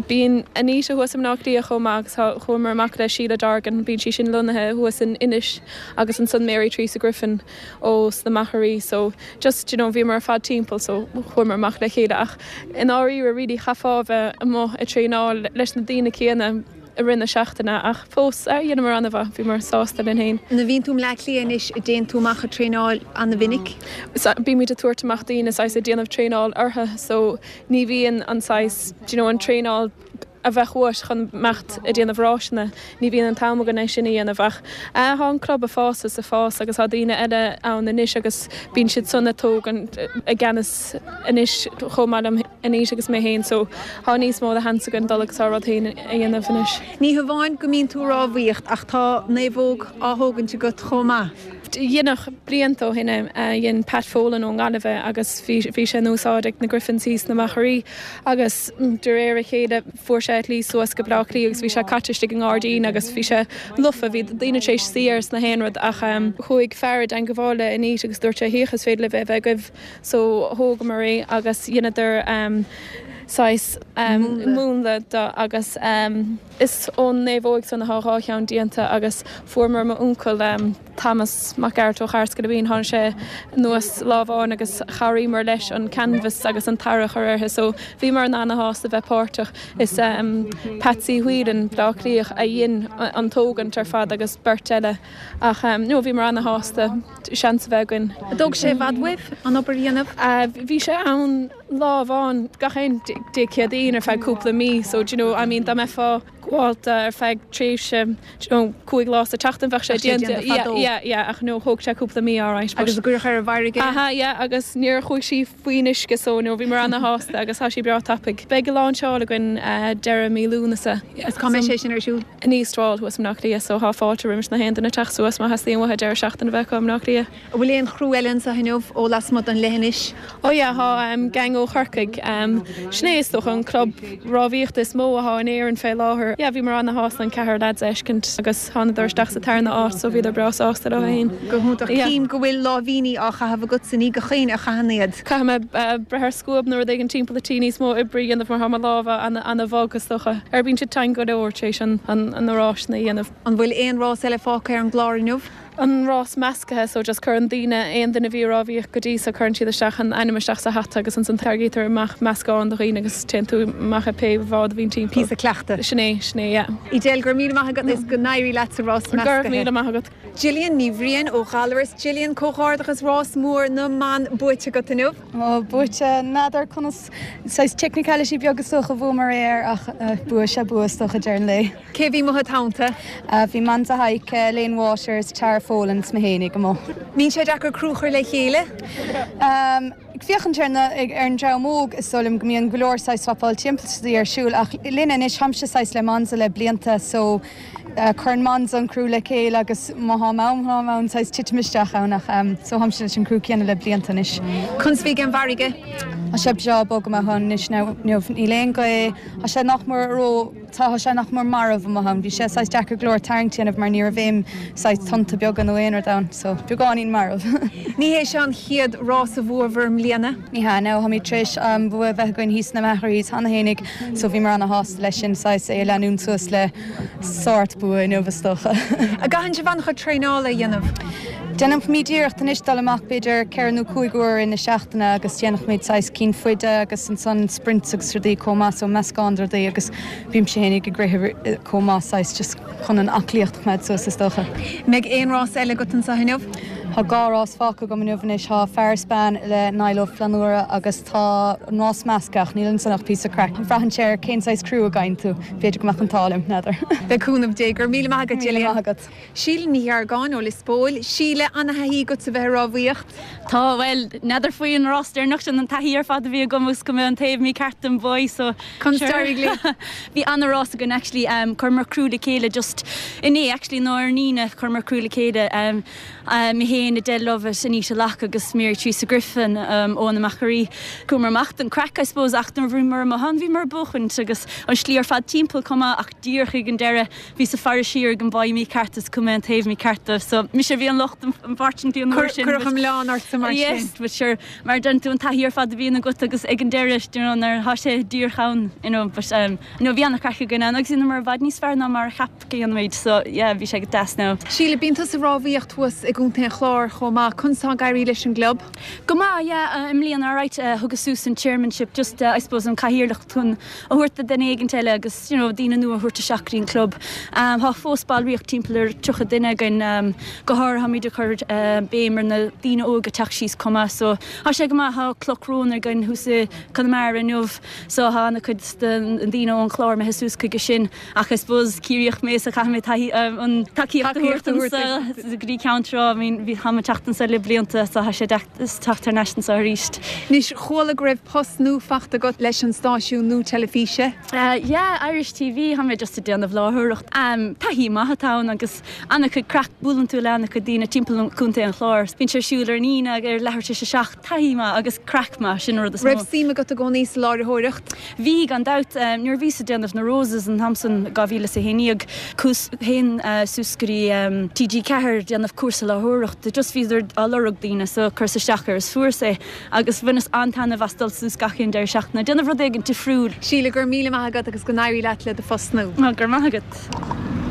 bíonn Anita thuas i mBleá Cliath chomh maith agus chuamar amach le Sheila Dargan bíonn sí sin lonnaithe thuas in Inis agus ansan Mary Teresa Griffin ó sna Machairí so just you know, bhíomar ar fad timpeall so chuamar amach le chéile ach in áiríre really chaithfeá bheith amuigh ag traenáil leis na daoine céanna i rith na seachtaine ach fós dheineamar an-mhaith bhíomar sásta linn féin. Nuair a bhíonn tú i mBleá Cliath anois an dtéann tú amach ag traenáil an-mhinic? Bímid ag tabhairt amach daoine saghas ag déanamh traenáil orthu so ní bhíonn an saghas you know, an traenáil a bheith uait chun imeacht ag déanamh rásanna ní bhíonn an t-am againn é sin a dhéanamh ach tá an club ag fás is ag fás agus tá daoine eile ann anois agus bíonn siad san ag tógaint i gceannas anois chomh maith liom anois agus mé féin so tá níos mó de sheans againn dul agus ár rud féin a dhéanamh anois. Ní hamháin go mbíonn tú ag rámhaíocht ach tá naomhóg á thógaint agat chomh maith. Dhéanach blianta ó shin dhein Pat Folan ón nGaillimh agus bhí sé in úsáid ag na Griffins thíos sna Machairí agus de réir a chéile fuair sé a shlí suas go Bleá Cliath agus bhí sé caite istigh i ngairdín agus bhí sé lofa bhí daoine tar éis suí air is gach aon rud ach um, chuaigh fear i dteagmháil le Anita agus dúirt sé féach is féidir libh é bheith agaibh so thógamar é agus dheineadar um, saghas um, múnla de agus um, is ón naomhóg san atá dhá cheann déanta agus fuaireamar m'uncail um, Thomas Mac Gearailt ó Charscadabín tháinig sé anuas lá amháin agus chabhraíomar leis an canvas agus an tarra a chur uirthi so bhíomar an-sásta bheith páirteach is um, Patsy Whelan Bleá Cliath a dhein an tógaint ar fad agus beirt eile ach um, no bhíomar an-sásta seans a bheith againn. Thóg sé i bhfad uaibh an obair a dhéanamh? Uh, bhí sé ann lá amháin gach aon Dé Céadaoin ar feadh cúpla mí, so you know, I mean, dá mbeifeá gaolta ar feadh tréimhse you know, cúig lá sa tseachtain bheadh sé déanta yeah, yeah, ach no thóg sé cúpla mí alright. Agus a cuireadh ar an bhfarraige? Aha, yeah, agus níor chuaigh sí faoin uisce so no bhíomar an-sásta agus tá sí breá tapaidh. Beidh a lainseáil againn uh, deireadh mí Lúnasa. Is cá mbeidh sé sin ar siúl? In East Wall thuas i mBleá Cliath so tá fáilte roimh gach aon duine teacht suas má theastaíonn uathu deireadh seachtaine bheith i mBleá Cliath. An bhfuil aon chriú eile anseo inniu ó lasmuigh den leithinis? Ó yeah, tá um, gang ó Chorcaigh um, sin é is dócha an club rámhaíochta is mó atá in Éirinn fé láthair. Yeah, bhíomar an-sásta an ceathrar lads a fheiscint agus thánadar isteach sa tarna áit so bhíodar breá sásta leo féin. Go hiontach cím go bhfuil láimhíní á chaitheamh agat san ní gach éinne a chaitheann iad. Caithfidh mé uh, breith ar scuab nó rud éigin timpeall an tí níos mó oibre a dhéanamh mar tá mo lámha an-bhog is dócha. Ar bíonn siad tinn go leor tar éis an an an rásanna a dhéanamh. An bhfuil aon rás eile fágtha ar an gclár inniu? An rás measctha so just cuireann daoine aon duine a bhí ag rámhaíocht go dtí so cuireann siad isteach an ainm isteach sa hata agus ansan tarraingítear amach meascán de dhaoine agus téann tú amach i pé bhád a bhíonn timpeall. Píosa cleachta. Sin é, sin é, yeah. Edel go raibh míle maith agat is go n-éirí leat sa rás Go raibh measctha. míle maith agat. Gillian Ní Bhriain ó Ghallaras Gillian comhghairdeachas rás mór na mban buaite agat inniu. Ó buaite n'fheadar conas saghas technicality beag is dócha bhuamar é ach bua sé bua is dócha deireadh an lae. Cé bhí i do theannta? Bhí Manza Haike, Lane Waters, Tara Folan 's mé féinig amuigh. Mbíonn sé deacair criú a chur le chéile? Um, Ag féachaint ar na ar an dream óg is dóigh liom go mbíonn go leor saghas swapáil timpeall ar siúl ach linne anois táimse saghas le Manza le blianta so uh, cuireann Manza an criú le chéile agus má tá am an saghas titim isteach ann ach um, so táimse leis an criú céanna le blianta anois. Conas a bhí an fharraige? Tá sé breá bog amach ann anois inniu. Níl aon ghaoth, tá sé nach mór ró tá sé nach mór marbh amach ann. Bhí sé saghas deacair go leor tarraingt a dhéanamh mar ní raibh aon saghas tonnta beaga nó aon rud ann, so beagáinín marbh. Ní hé seo an chéad rás a bhuabhair i mbliana? Ní hea, no, táimid tar éis bua a bheith againn thíos sna Machairí cheana fhéinig, so bhíomar ana-shásta leis sin saghas é a leanúint suas le sórt bua inniu is dócha. An gcaitheann sibh an-chuid traenála a dhéanamh? Déanaimid iarracht anois dul amach b'fhéidir ceithre nó cúig uair i na seachtaine agus déanaimid saghas cinn faide agus ansan sprints agus rudaí chomh maith so meascán de rudaí agus bímse fhéinig ag rith chomh maith saghas just chun an aclaíocht a choimeád suas is dócha. Mbeidh aon rás eile agat anseo inniu? Tá dhá rás fágtha agam inniu anois, tá fear is bean le Niall Ó Flannúra agus tá an rás measctha ach níl ansan ach píosa craic. Braitheann sé ar cén saghas criú a gheibheann tú, b'fhéidir go mbeadh an t-ádh liom, n'fheadar. Le cúnamh Dé, go raibh míle maith agat, Gillian. Míle maith agat. Síle Ní Dheargáin ó Lios Póil. Síle, ana-thaithí agat a bheith ag rámhaíocht? Tá, bhuel, n'fheadar faoin rás deireanach sin an taithí ar fad a bhí agam agus go mbeadh an taobh mícheart den bhaoi so Conas d'éirigh libh? Bhí ana-rás againn actually, um, chuireamar criú le chéile just inné actually nó ar an Aoine chuireamar criú le chéile um, uh, mé féin Adele Lovett, Anita Locke agus Mary Teresa Griffin um, ó na Machairí. Chuamar amach don craic I suppose ach nuair a bhíomar amuigh ann bhíomar ag buachaint agus an slí ar fad timpeall chomh maith ach díreach ag an deireadh bhíos ag faire siar ag an bhaoi mícheart is chuir mé an taobh mícheart dóibh so mise a bhí an locht unfortunately an uair sin. Cuireadh an milleán ortsa mar sin. Yes, but sure mar deireann tú an taithí ar fad a bhíonn agat agus ag an deireadh you know, nuair atá sé díreach ann you know, but um, no, bhí an-chraic againn ann agus bhíomar i bhfad níos fearr ná mar a cheap go ndéanfaimid so yeah, bhí sé go deas now. Síle, bíonn tusa ag rámhaíocht thuas i gContae an Chláir chomh maith, conas tá ag éirí leis an gclub? Go maith, yeah, uh, i mbliana alright, uh, thugas suas an chairmanship just uh, I suppose an cathaoirleacht chun a thabhairt do duine éigin eile agus you know, daoine nua a thabhairt isteach go dtí an club. Um, Tá fós ballraíocht timpeall ar tríocha duine againn um, go háirithe táimid ag cur uh, béim ar na daoine óga teacht síos chomh maith so tá sé go maith tá Cloch Rón againn thuas i Conamara inniu so tá an-chuid den daoine ón chlár imithe suas chuige sin ach I suppose Ciarraíoch mé so caithfidh mé taithí um, an tacaíocht a thabhairt anso go dtí Ceann Trá I mean, bhí táim ag teacht anso le blianta so tá sé deas teacht thar n-ais anseo arís. Anois chuala go raibh post nua faighte agat leis an stáisiún nua teilifíse? Uh, yeah, Irish TV tá mé just ag déanamh láithreoireacht. Um, taithí maith atá ann agus an-chuid craic buaileann tú le an-chuid daoine timpeall an Contae an Chláir. Bíonn sé ar siúl ar an Aoine ar leathuair tar éis a seacht taithí maith agus craic maith sin rud is Raibh suim agat i gcónaí sa láithreoireacht? Bhí gan dabht um, nuair bhíos ag déanamh na Roses an t-am san dhá mhíle is a haon déag chuas féin uh, suas go dtí um, TG Ceathair déanamh cúrsa láithreoireachta just bhíodar á lorg daoine so chuireas isteach air is fuaireas é agus bhaineas an-taitneamh as dul suas gach aon deireadh seachtaine déanamh rud éigin difriúil. Síle go raibh míle maith agat agus go n-éirí leat le do phost nua. Ná gur maith agat.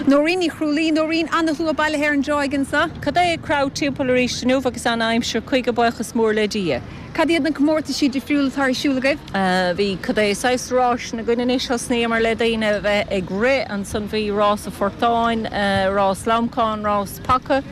Nóirín Ní Chrúlaí Nóirín an-shlua bailithe ar an dtráigh anseo? Cad é crowd timpeall arís inniu agus an aimsir chuige buíochas mór le Dia. Cad iad na comórtaisí difriúla atá ar siúl agaibh? Uh, bhí cad é saghas ráis na gine thosnaíomar le daoine bheith ag rith ansan bhí rás a phortáin, uh, rás lamcán, rás paca.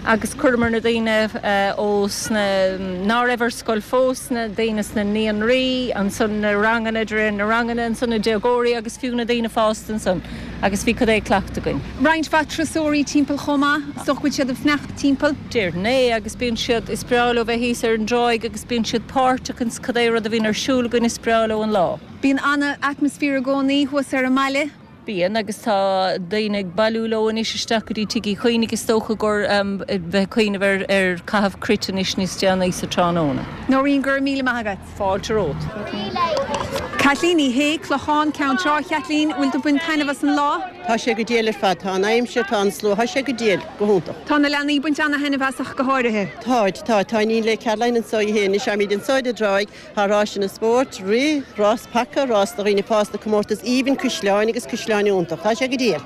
agus chuireamar na daoine uh, ó sna ná raibh ar scoil fós na daoine sna naíonraí, ansan na ranganna de na ranganna ansan na déagóirí agus fiú na daoine fásta ansan, agus bhí cad é cleachtadh againn. Roinnt mhaith turasóirí timpeall chomh maith, so bhfuil siad ag fanacht timpeall? Déarfainn é agus bíonn siad is breá leo bheith thíos ar an dtráigh agus bíonn siad páirteach in cad é rud a bhíonn ar siúl againn is breá leo an lá. Bíonn an-atmaisféar i gcónaí thuas ar an mbaile? Bíonn agus tá daoine ag bailiú leo anois isteach go dtí Tigh Uí Chuinn is dócha gur um, bheith cuimhneamh ar ar caitheamh cruit anois níos déanaí sa tráthnóna. Nóirín go raibh míle maith agat. Fáilte romhat. Kathleen Ní Shé Clochán Ceann Trá Kathleen bhfuil tú ag baint taitneamh as an lá? Tá sé go diail ar fad tá an aimsir tá an slua tá sé go diail go hiontach. Tá na leanaí ag baint an-taitneamh as ach go háirithe. Tá tá tá ní le Caroline anseo féin is muid anseo ar an dtráigh tá rás na spórt, rith, rás paca, rás do dhaoine fásta comórtas aoibhinn cuisleáin agus cuisleáin iontach, Tá sé go diail.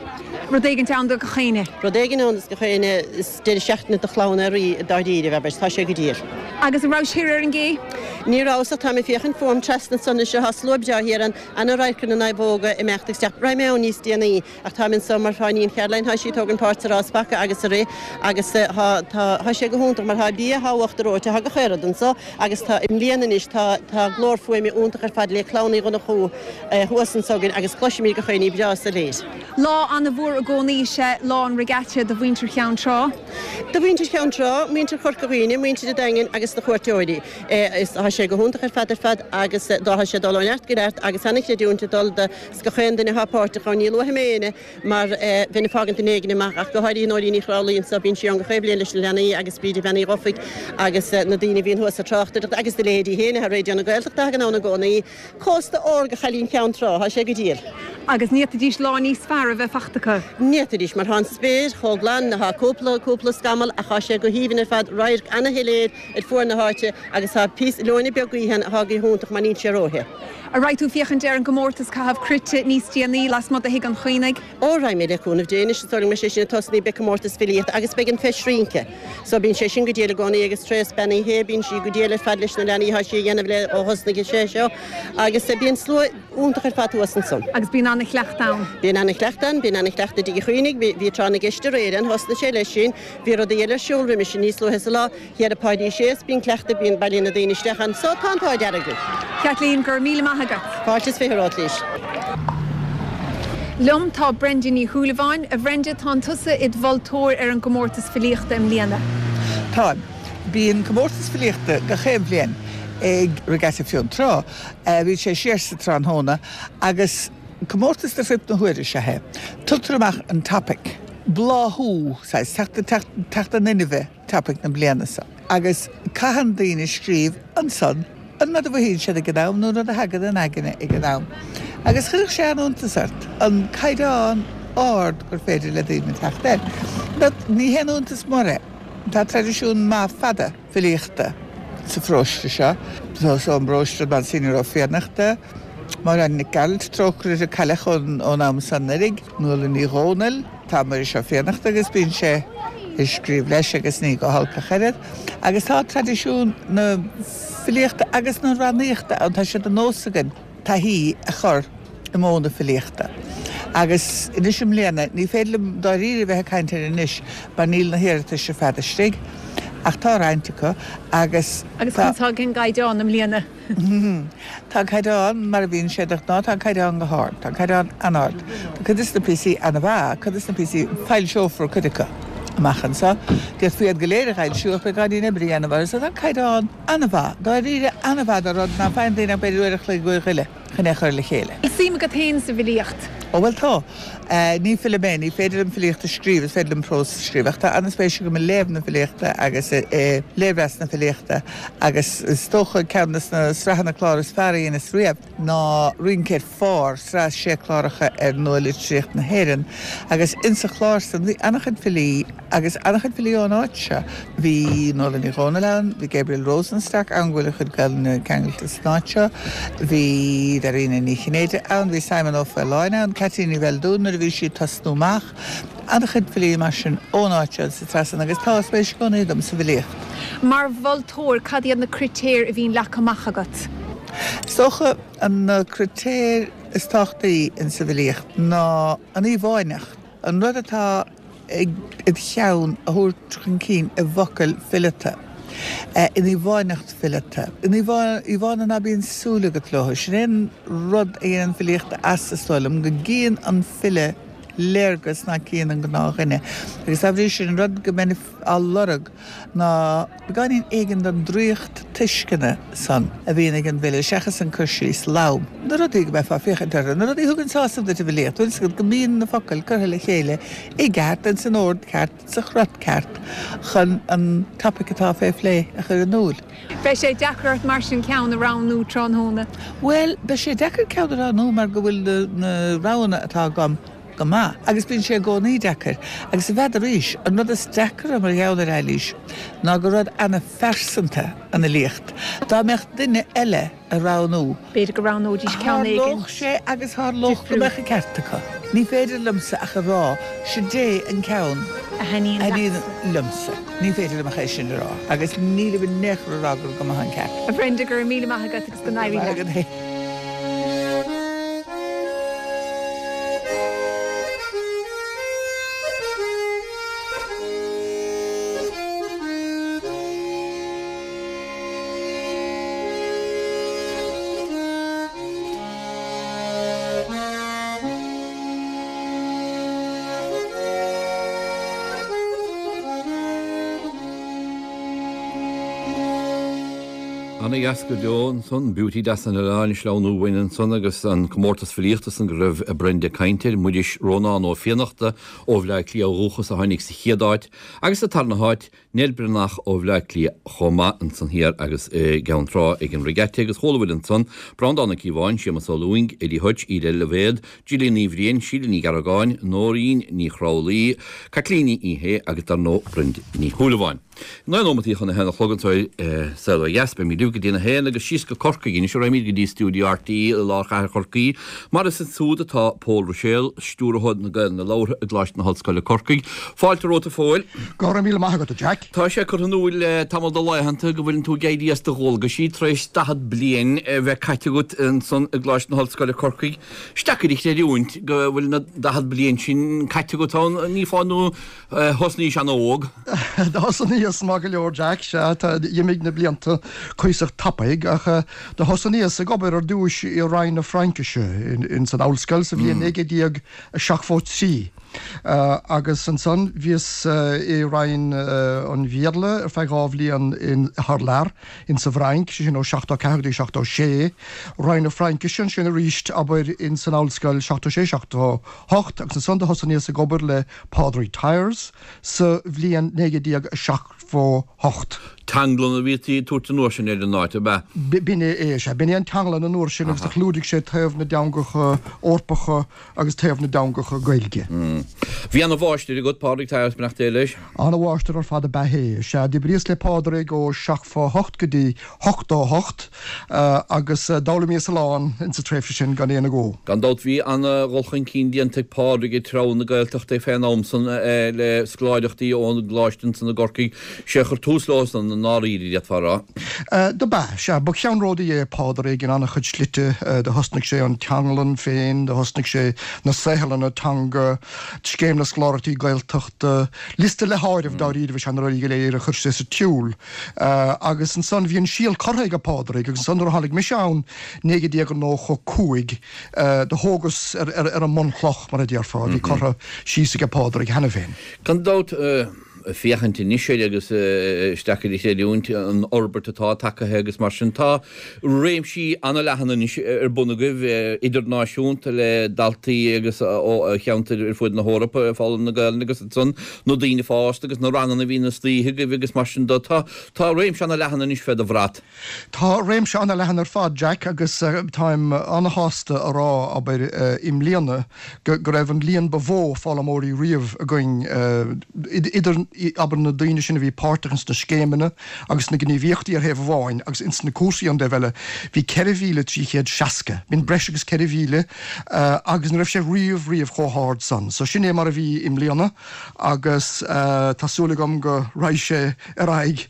Rud éigin ann do gach éinne. Rud éigin ann do gach éinne deireadh seachtaine do chlann ar rí dáiríre bheith tá sé go diail. Agus an raibh sibh ar an gcé? Ní raibh tá mé ag féachaint fúm trasna ansan seo tá slua breá thiar an an radharc na naomhóga ag imeacht isteach raghaidh mé ann níos déanaí ach tá anseo mar tá iníon Caroline tá sí ag tógaint páirt sa rás paca agus sa rith agus tá sé go hiontach mar tá bia thábhacht reoite tá gach aon rud anseo agus tá i mbliana anois tá tá glór fuaime iontach ar fad le clann Uí Dhonnchú thuas anseo againn agus cloisimid gach éinne breá soiléir. Lá an-mhór i gcónaí is ea lá an regatta do mhuintir Cheann Trá. Do mhuintir Cheann Trá, muintir Chorca Dhuibhne, muintir an Daingin agus na cuairteoirí. Is tá sé go hiontach ar fad ar fad agus tá sé dul ó neart go neart agus an-chreidiúint ag dul do gach aon duine atá páirteach ann. Ní luafaidh mé éinne mar bheinn ag fágaint duine éigin amach ach go háirithe Nóirín Ní Chrálaigh anseo, bíonn sí ann gach aon bhliain leis na leanaí agus Bríde Bean Uí Dhufaigh agus na daoine a bhíonn thuas ag tráchtaireacht agus do leithéidí féin ar Raidió na Gaeltachta a thagann ann i gcónaí. Cósta órga Chailín Cheann Trá, tá sé go diail. Agus ní fhéadfaidís lá níos fearr a bheith fachta acu. Ní fhéadfaidís mar tá an spéir chomh glan, tá cúpla, cúpla scamall ach tá sé go haoibhinn ar fad, radharc ana-shoiléir ar fuar na háite agus tá píosa leoithne beag gaoithe ann atá go hiontach mar níl sé róthe. An raghaidh tú féachaint ar an gcomórtas caitheamh cruite níos déanaí lasmuigh de Thigh an Chaonaigh? Ó, raghaidh mé le cúnamh Dé anois, is dóigh liom go mbeidh sé sin ag tosnaí, beidh comórtas filíochta agus beidh an Feis Rince. So bíonn sé sin go diail i gcónaí agus Treasa Bean Uí Shé, bíonn sí go diail ar fad leis na leanaí, tá sí a dhéanamh le ó thosnaigh sé seo agus bíonn slua iontach ar fad thuas ansan. Agus bíonn ana-chleachtadh ann. Bíonn ana-chleachtadh ann, bíonn ana-chleachtadh i dTigh an Chaonaigh, bhí, bhí tráth na gceist aréir ann, thosnaigh sé leis sin, bhí rudaí eile ar siúl roimis sin níos luaithe sa lá, thiar i Páidí Shea's, bíonn cleachtadh, bíonn, bailíonn na daoine isteach ann, so tá an t-ádh dearg linn. Kathleen, go raibh míle maith agat. Fáilte is fiche romhat, Lís. Liom tá Brenda Ní Shúilleabháin. A Bhrenda, tánn tusa id mholtóir ar an gcomórtas filíochta i mbliana. Táim. Bíonn comórtas filíochta gach aon bhliain ag Regatta Fionntrá. Bíonn sé siar sa tráthnóna agus comórtas de fuip na huaire is ea é. Tugtar amach an topaic, bláthú, saghas, teacht, teacht in inmhe topaic na bliana seo agus caitheann daoine scríobh ansan an rud a mhothaíonn siad ag an am nó an rud a thagann in aigne ag an am. Agus chuirfeadh sé an-iontas ort an caighdeán ard gur féidir le daoine teacht air. But ní haon iontas mór é. Tá traidisiún maith fada filíochta sa pharóiste seo. Tá ón bparóiste Monsignor Ó Fiannachta, Máire Nic Gearailt, trócaire uirthi a cailleadh ón am san uilig, Nuala Ní Dhomhnaill, tá Muiris Ó Fiannachta agus bíonn sé ag scríobh leis agus ní go holc ach oiread. Agus tá traidisiún na filíochta agus na rannaíochta ann, tá sé de nós againn taithí a chur i modh na filíochta. Agus anois i mbliana, ní féidir liom dáiríre bheith ag caint air anois mar níl na hiarratais ar fad istigh, ach tá roinnt acu agus Agus tá. conas tá an caighdeán i mbliana? Tá an caighdeán mar a bhíonn sé de ghnáth, tá an caighdeán go hard, tá an caighdeán an-ard. Tá cuid de na píosaí an-mhaith, cuid de na píosaí, foilseofar cuid acu amach anseo. D'fhéadfaí iad go léir a fhoilsiú ach beidh beagáinín oibre a dhéanamh orthu, so tá an caighdeán an-mhaith, dáiríre an-mhaith do rud ná faigheann daoine ach b'fhéidir uair a chloig, uair chuile chun é a chur le chéile. Bhfuil suim agat féin sa bhfilíocht? Ó bhuel tá. Ní file mé, ní féidir liom filíocht a scríobh, is féidir liom prós a scríobh, ach tá an-spéis agam i léamh na filíochta agus i léirmheas na filíochta agus is dócha ceann de na sraitheanna clár is fearr a dheineas riamh ná Rince ar Phár, sraith sé cláracha ar nua-litríocht na hÉireann agus insa chlár san bhí an-chuid filí agus an-chuid filí ón áit seo. Bhí Nuala Ní Dhomhnaill ann, bhí Gabriel Rosenstock ann go bhfuil a chuid Gaelainne ceangailte san áit seo, bhí Dairena Ní Chinnéide ann, bhí Simon Ó Faoláin ann, Caitlín Ní Bheildiúin nuair a bhí sí ag tosnú amach, an-chuid filí mar sin ón áit seo sa tsraith san agus tá spéis i gcónaí agam sa bhfilíocht. Mar mholtóir, cad iad na critéir a bhíonn leagtha amach agat? Is dócha an na critéir is tábhachtaí insa bhfilíocht ná an íomháineacht, an rud atá id cheann a thabhairt chun cinn i bhfocail fileata, in íomháineacht fileata, in íomhánna ná bíonn súil agat leo. Sin é an rud a dhéanann filíocht as, is dóigh liom, go gcíonn an file léargas nach gcíonn an gnáthdhuine. Agus dá bhrí sin, an rud go mbeinn á lorg ná beagáinín éigin den draíocht tuisceana san a bhíonn ag an bhfile, seachas an cur síos lom. Na rudaí go mbeifeá ag féachaint orthu, na rudaí a thugann sásamh duit i bhfilíocht, bhfuil 'fhios agat go mbíonn na focail curtha le chéile i gceart, ins an ord ceart, sa chrot ceart, chun an topaic atá fé phlé a chur in iúl. Beidh sé deacair ort mar sin ceann a roghnú tráthnóna? Bhuel, beidh sé deacair ceann a roghnú mar go bhfuil na roghanna atá agam go maith. Agus bíonn sé i gcónaí deacair. Agus n'fheadar, an rud is deacra mar gheall ar Eilís ná gur rud ana-phearsanta an fhilíocht. Dá mbeadh duine eile á roghnú. B'fhéidir go roghnóidís ceann éigin. Tharlódh sé agus tharlódh go mbeadh an ceart acu. Ní féidir liomsa ach a rá, sid é an ceann a thaitníonn liomsa. Ní féidir liom ach é sin a rá. Agus nílim in aon chor a rá gur go maith an ceart. A Bhrenda, go raibh míle maith agat agus go n-éirí leat. Ana dheas go deo ansan, Beauty deas an Oileáin ag sleamhnú uainn ansan agus an comórtas filíochta san go raibh Brenda ag caint air, Muiris Rónán Ó Fiannachta ó Bhleá Cliath ó dhúchas a tháinig sa chéad áit agus sa tarna háit Nell Breathnach ó Bhleá Cliath chomh maith ansan thiar agus i gCeann Trá ag an Regatta agus chuala bhfuil ansan, Breandán Ó Cíobháin, Séamus Ó Lúing, Eddie Hutch, Edel Loibhéad, Gillian Ní Bhriain, Síle Ní Ghearragáin, Nóirín Ní Chrálaí, Caitlín Ní Shé agus dar ndóigh Brenda Ní Shúilleabháin. Naoi nóimeataí chun a haon a chlog anseo ar Saol Ó Dheas, beimid libh go dtí a haon agus síos go Corcaigh anois, raghaimid go dtí stiúideo RTÉ i lár chathair Chorcaí, mar is ansúd atá Pól Ruiséal, Stiúrthóir na Gaelainne Labhartha i gColáiste na hOllscoile Corcaigh. Fáilte romhat a Phóil. Go raibh míle maith agat, a Jack. Tá sé curtha in iúl le tamall de laethanta go bhfuileann tú ag éirí as do dhualgaisí tar éis daichead bliain a bheith caite agat ansan i gColáiste na hOllscoile Corcaigh. Is deacair a chreidiúint go bhfuil na daichead bliain sin caite agat ann, ní fáth nó thosnaís an-óg. Do thosnaíos maith go leor, Jack, sea, tá, d'imigh na blianta cuíosach tapaidh, ach do thosnaíos ag obair ar dtúis i Roinn na Fraincise ins an ollscoil sa bhliain naoi gcéad déag a seachtó trí, agus ansan bhíos i Roinn an Bhéarla ar feadh dhá bhliain in, thar lear, ins an bhFrainc, sé sin ó seachtó ceathair go dtí seachtó sé, Roinn na Fraincise ansin arís, abair, ins an ollscoil seachtó sé, seachtó hocht, agus ansan do thosnaíos ag obair le Pádraig Tyers sa bhliain naoi gcéad déag a seachtó hocht. Teanglann a bhítí ag tabhairt an uair sin ar an áit, ab ea? B'in é, sea. B'in é an teanglann an uair sin agus do chlúdaigh sé taobh na dteangacha Eorpacha agus taobh na dteangacha Gaeilge. Bhí ana-mháistir agat, Pádraig Tyers, beannacht Dé leis. Ana-mháistir ar fad ab ea é. Sea, d'oibríos le Pádraig ó seachtó hocht go dtí ochtó hocht agus d'fhoghlaimíos a lán insa tréimhse sin gan aon agó. Gan dabht bhí ana-dhul chun cinn déanta ag Pádraig i dtreo na Gaeltachta fén am san le scoláireachtaí ón gcoláiste ansan i gCorcaigh. Sé a chuir tús leo san i ndáiríre, d'fhéadfá a rá. Dob ea, sea. Ba cheannródaí é Pádraig in an-chuid slite. Do thosnaigh sé an teanglann féin, do thosnaigh sé na saotharlanna teanga, scéim na scoláireachtaí Gaeltachta, liosta le háireamh dáiríribh is ea na rudaí go léir a chuir sé sa tsiúl. Agus ansan bhí an síol curtha aige Pádraig agus ansan nuair a tháinig mise ann naoi gcéad déag nócha cúig do thógas ar an mbunchloch, mar a déarfá, a bhí curtha síos aige Pádraig cheana féin. Gan dabht, féachaint anois air agus is deacair a chreidiúint an fhorbairt atá tagtha agus mar sin. Tá réimsí an-leathan anois ar bun agaibh, idirnáisiúnta le daltaí agus ó cheantair ar fud na hEorpa ag foghlaim na Gaelainne agus ansan na daoine fásta agus na ranganna a bhíonn istoíche agaibh agus mar sin de. Tá tá réimse an-leathan anois fé do bhrat. Tá réimse an-leathan ar fad, Jack, agus táim an-shásta a rá, abair, i mbliana go raibh an líon ba mhó foghlaimeoirí riamh againn, idir, abair, na daoine sin a bhí páirteach ins na scéimeanna agus na gníomhaíochtaí ar thaobh amháin agus ins na cúrsaí an taobh eile, bhí ceithre mhíle trí chéad seasca, b'in breis agus ceithre mhíle, agus ní raibh sé riamh, riamh chomh hard san. So sin é mar a bhí i mbliana agus tá súil agam go raghaidh sé ar aghaidh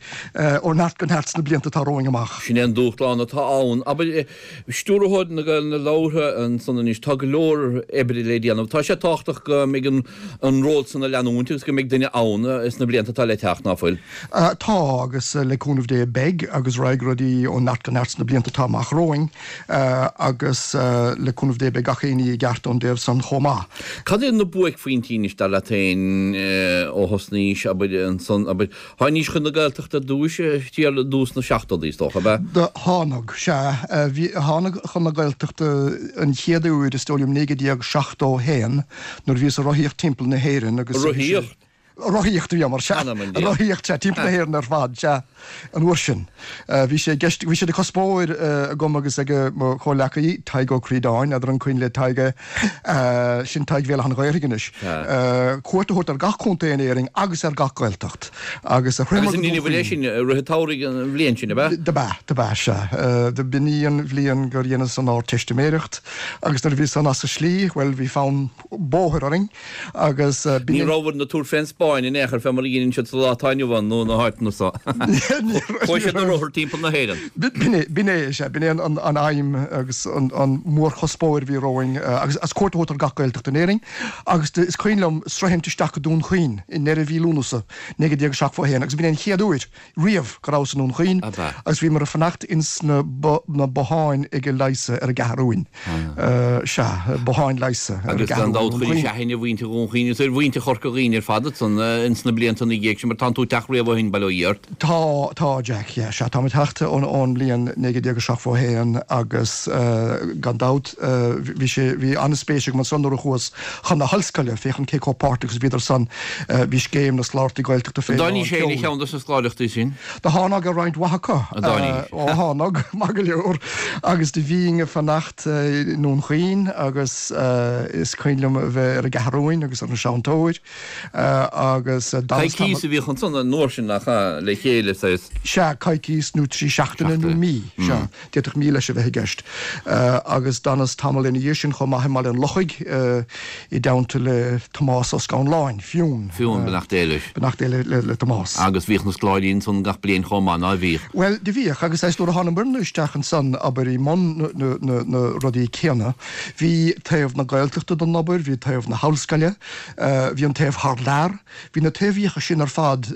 ó neart go neart sna blianta atá romhainn amach. Sin é an dúshlán atá ann. Abair, Stiúrthóir na Gaelainne Labhartha ansan anois, tá go leor oibre le déanamh. Tá sé tábhachtach go mbeidh an ról san á leanúint agus go mbeidh duine ann sna blianta atá le teacht, ná fuil? Tá, agus le cúnamh Dé beidh, agus raghaidh rudaí ó neart go neart sna blianta atá amach romhainn, agus le cúnamh Dé beidh gach aon ní i gceart ón dtaobh san chomh maith. Cad iad na buaicphointí anois, dar leat féin, ó thosnaís, abair, ansan, abair, Tháinís chun na Gaeltachta ar dtúis, thiar i dtús na seachtóidí, is dócha, ab ea? Do thánag, sea. Bhí, thánag chun na Gaeltachta an chéad uair, is dóigh liom, naoi gcéad déag seachtó a haon, nuair a bhíos ag rothaíocht timpeall na hÉireann agus. Rothaíocht? Rothaíocht a bhíomar, sea. Rothaíocht, sea, timpeall na hÉireann ar fad, sea, an uair sin. Bhí sé i gceist, bhí sé de chuspóir agam agus ag mo chomhleacaí, Tadhg Ó Críodáin, n'fheadar an cuimhin le Tadhg é, Sin Tadhg Bhéal Átha an Ghaorthaidh anois. Cuairt a thabhairt ar gach contae in Éirinn agus ar gach Gaeltacht. Agus shroicheamar go Dún Chaoin. Agus sin i rith an tsamhraidh an bhliain sin, ab ea? Dob ea, dob ea, sea. B'in í an bhliain gur dheineas an Ardteistiméireacht agus nuair a bhí san as an slí, bhuel, bhí fonn bóthair orainn agus b'in. Ní rabhabhair ag tabhairt fén Spáinn in aon chor, fé mar a dheineann siad sa lá atá inniu ann nó na háiteanna so. Chuaigh siad ar rothar timpeall na hÉireann. B'in é, b'in é, sea, b'in é an aidhm agus an mórchuspóir a bhí romhainn agus as cuairt a thabhairt ar gach Gaeltacht in Éirinn agus is cuimhin liom sroichint isteach go Dún Chaoin i ndeireadh mhí Lúnasa naoi gcéad déag seachtó a haon agus b'in é an chéad uair riamh go rabhas i nDún Chaoin agus bhíomar ag fanacht ins na na botháin ag Eliza ar an gCeathrúin. Sea, botháin Eliza ar an Agus gan gCeathrúin dabht i Ndún chuiris Chaoin. aithne ar mhuintir Dhún Chaoin agus ar mhuintir Chorca Dhuibhne ar fad ansan ins na blianta ina dhiaidh sin, mar tánn tú ag teacht riamh ó shin, bail ó Dhia ort. Tá, tá, Jack, yeah, sea, táim ag teacht ón, ón mbliain naoi déag déag a seachtó a haon agus gan dabht bhí sé, bhí an-spéis agam ansan nuair a chuas chun na hollscoile féachaint cé chomh páirteach is a bhíodar san, bhí scéim na scoláireachtaí Gaeltachta fé An lán dtáinís féin ar tseoil. cheann dos na scoláireachtaí sin? Do thánag ar roinnt mhaith acu. An dtáinís? Ó thánag, maith go leor, agus do bhínn ag fanacht i nDún Chaoin agus is cuimhin liom a bheith ar an gCeathrúin agus ar an Seantóir agus d'fhanas tamall. Coicís a bhíodh ansan an uair sin, nach ea, le chéile, saghas. Sea, coicís nó trí seachtaine nó mí, sea, d'fhéadfadh mí leis a bheith i gceist. Agus d'fhanas tamall ina dhiaidh sin chomh maith i mBaile an Lochaigh i dteannta le Tomás Ó Scanláin, Fionn. Fionn, beannacht Dé leis. Beannacht Dé le Tomás. Agus bhíodh na scoláirí ansan gach bliain chomh maith, ná bhíodh? Bhuel, do bhíodh, agus is nuair a thánamairne isteach ansan, abair, i mbun na rudaí céanna, bhí taobh na Gaeltachta den obair, bhí taobh na hollscoile, bhí an taobh thar lear, bhí na taobhaíocha sin ar fad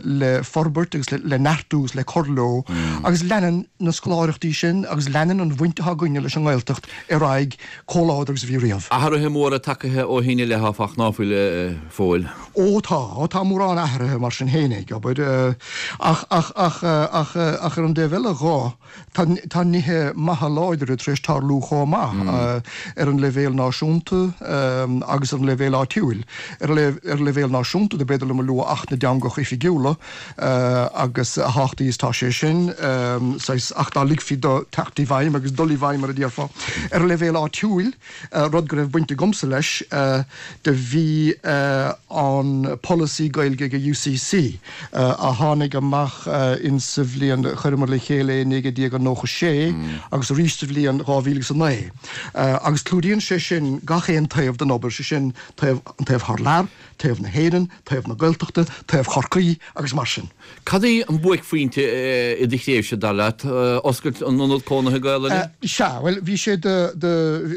le forbairt agus le neartú agus le cur leo, agus leanann na scoláireachtaí sin agus leanann an bhaint atá againne leis an nGaeltacht ar aghaidh chomh láidir agus a bhí riamh. Athruithe móra tagtha ó shin i leith, áfach, ná fuil, a Phóil? Ó tá, ó tá mórán athruithe mar sin fhéinig, abair, ach, ach, ach, ach, ach ar an dtaobh eile dho, tá, tá nithe maithe láidre tar éis tarlú chomh maith, ar an leibhéal náisiúnta agus ar an leibhéal áitiúil. Ar an, ar an leibhéal náisiúnta do b'fhéidir liom a lua Acht na dTeangacha Oifigiúla agus a thábhachtaí is tá sé sin, saghas, ach dá ligfí do teacht i bhfeidhm agus dul i bhfeidhm mar a déarfá. Ar an leibhéal áitiúil, rud go raibh baint agamsa leis, do bhí an polasaí Gaeilge ag UCC a tháinig amach in sa bhliain, chuireamar le chéile é i naoi déag nócha sé agus arís sa bhliain dhá mhíle agus a naoi agus clúdaíonn sé sin gach aon taobh den obair, sé sin taobh, an taobh thar lear, taobh na hÉireann, taobh na Gaeltachta, taobh Chorcaí agus mar sin. Cad é an buaicphointe i do thréimhse, dar leat? Oscailt an Ionad Cónaithe Gaelainne? Sea, bhuel, bhí sé de, de,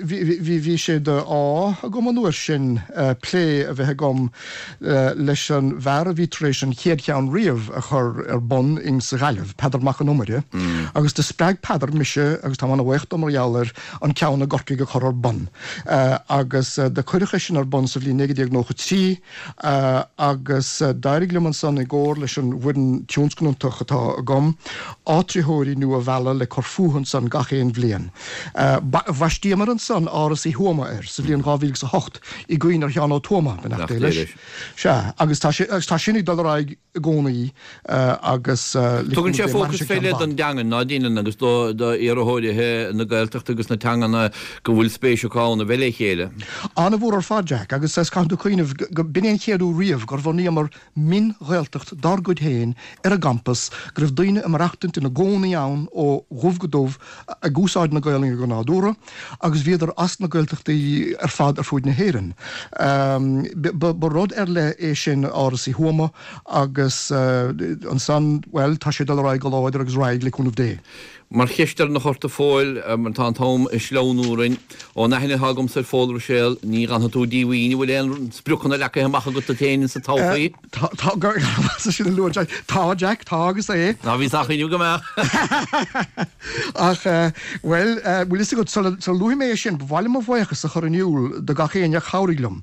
bhí, bhí, bhí sé de ádh agam an uair sin plé a bheith agam leis an bhfear a bhí tar éis an chéad cheann riamh a chur ar bun in sa Ghaillimh, Peadar Mac an Iomaire, agus do spreag Peadar mise, agus táim ana-bhuíoch dó mar gheall air, an ceann i gCorcaigh a chur ar bun. Agus do cuireadh é sin ar bun sa bhliain naoi déag nócha trí agus d'éirigh liom ansan i gcomhar leis an bhfoireann tionscnantach atá agam, áitritheoirí nua a mhealladh le cur fúthu ansan gach aon bhliain. Bhaistíomar ansan Áras Uí Thuama air sa bhliain dhá mhíle agus a hocht i gcuimhne ar Sheán Ó Tuama, beannacht Dé leis. Sea, agus tá sé, agus tá sin ag dul ar aghaidh i gcónaí agus le Tugann cúnamh sé Dé mairfidh fócas sé fé ceann leith i don bhfad. dteangain, ná deineann, agus do d'iarrthóirithe na Gaeltachta agus na teangana go bhfuil spéis acu ann a bheith le chéile. An-mhór ar fad, Jack, agus caithfidh tú cuimhneamh go b'in é an chéad uair riamh gur bhunaíomar mion-Ghaeltacht dár gcuid féin ar an gcampas, go raibh daoine ag maireachtaint ina gcónaí ann ó dhubh go dubh ag úsáid na Gaelainne go nádúrtha agus bhíodar as na Gaeltachtaí ar fad ar fuaid na hÉireann. Ba rud ar leith é sin Áras Uí Thuama agus ansan, bhuel, tá sé ag dul ar aghaidh go láidir agus raghaidh le cúnamh Dé. Mar cheist dheireanach ort a Phóil, mar tá an t-am ag sleamhnú orainn, ón aithne atá agamsa ar Phól Ruiséal, ní fhanfaidh tú díomhaoin, an bhfuil aon spriocanna leagtha amach agat duit féin sa todhchaí? Tá, tá, sin a lua Jack. Tá, Jack, tá agus é. Ná bhí sách inniu go mbeadh. Ach, bhuel, bhfuil fhios agat, sula luafaidh mé é sin, ba mhaith liom mo bhuíochas a chur in iúl do gach éinne a chabhraigh liom.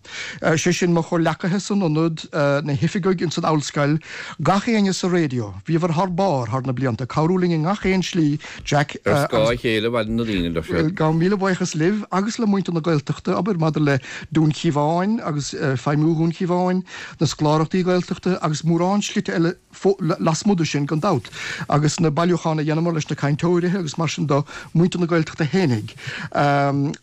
Sé sin mo chomhleacaithe san ionad, na hoifigigh ins an ollscoil, gach éinne sa raidió. Bhíobhair thar barr thar na blianta, ag cabhrú linn i ngach aon slí, Jack. Ar scáth a chéile a mhaireann na daoine, deir siad. Gabhaim míle buíochas libh agus le muintir na Gaeltachta, abair, maidir le Dún Chíomháin agus feidhmiú Dhún Chíomháin, na scoláireachtaí Gaeltachta agus mórán slite eile lasmuigh de sin, gan dabht, agus na bailiúcháin a dheineamar leis na cainteoirithe agus mar sin do, muintir na Gaeltachta fhéinig.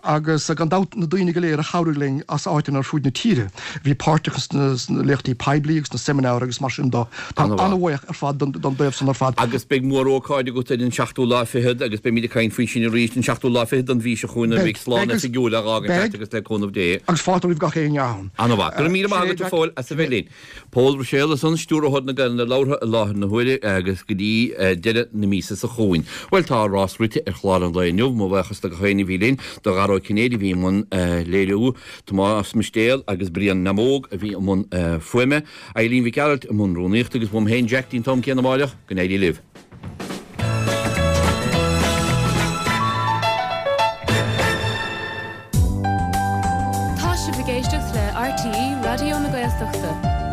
Agus gan dabht na daoine go léir a chabhraigh linn as áiteanna ar fuaid na tíre, a bhí páirteach sna léachtaí poiblí agus sna seimineáir agus mar sin do. Táim an-bhuíoch ar fad don dtaobh san ar fad. Agus beidh mórócáid agat ar an seachtú lá fichead agus beimid ag caint faoi sin arís, an seachtú lá fichead den mhí seo chugainn nuair a bheidh slán oifigiúil á dh'fhágaint agat agus le cúnamh Dé. Agus fáilte roimh gach éinne ann. An-mhaith. Go raibh míle maith agat a Phóil as a bheith linn. Pól Ruiséal ansan, Stiúrthóir na Gaelainne Labhartha i láthair na huaire agus go dtí deireadh na míosa seo chugainn. Bhuel tá rás rite ar chlár an lae inniu. Mo bhuíochas do gach éinne a bhí linn, do Dhara Ó Cinnéide a bhí i mbun léiriú, Tomás Mistéal agus Brian Neamóg a bhí i mbun fuaime, Eileen Mhic Gearailt i mbun rúnaíochta agus uaim féin Jack dtí'n t-am céanna amáireach. Go n-éirí libh. Tá sibh ag éisteacht le RTÉ Raidió na Gaeltachta.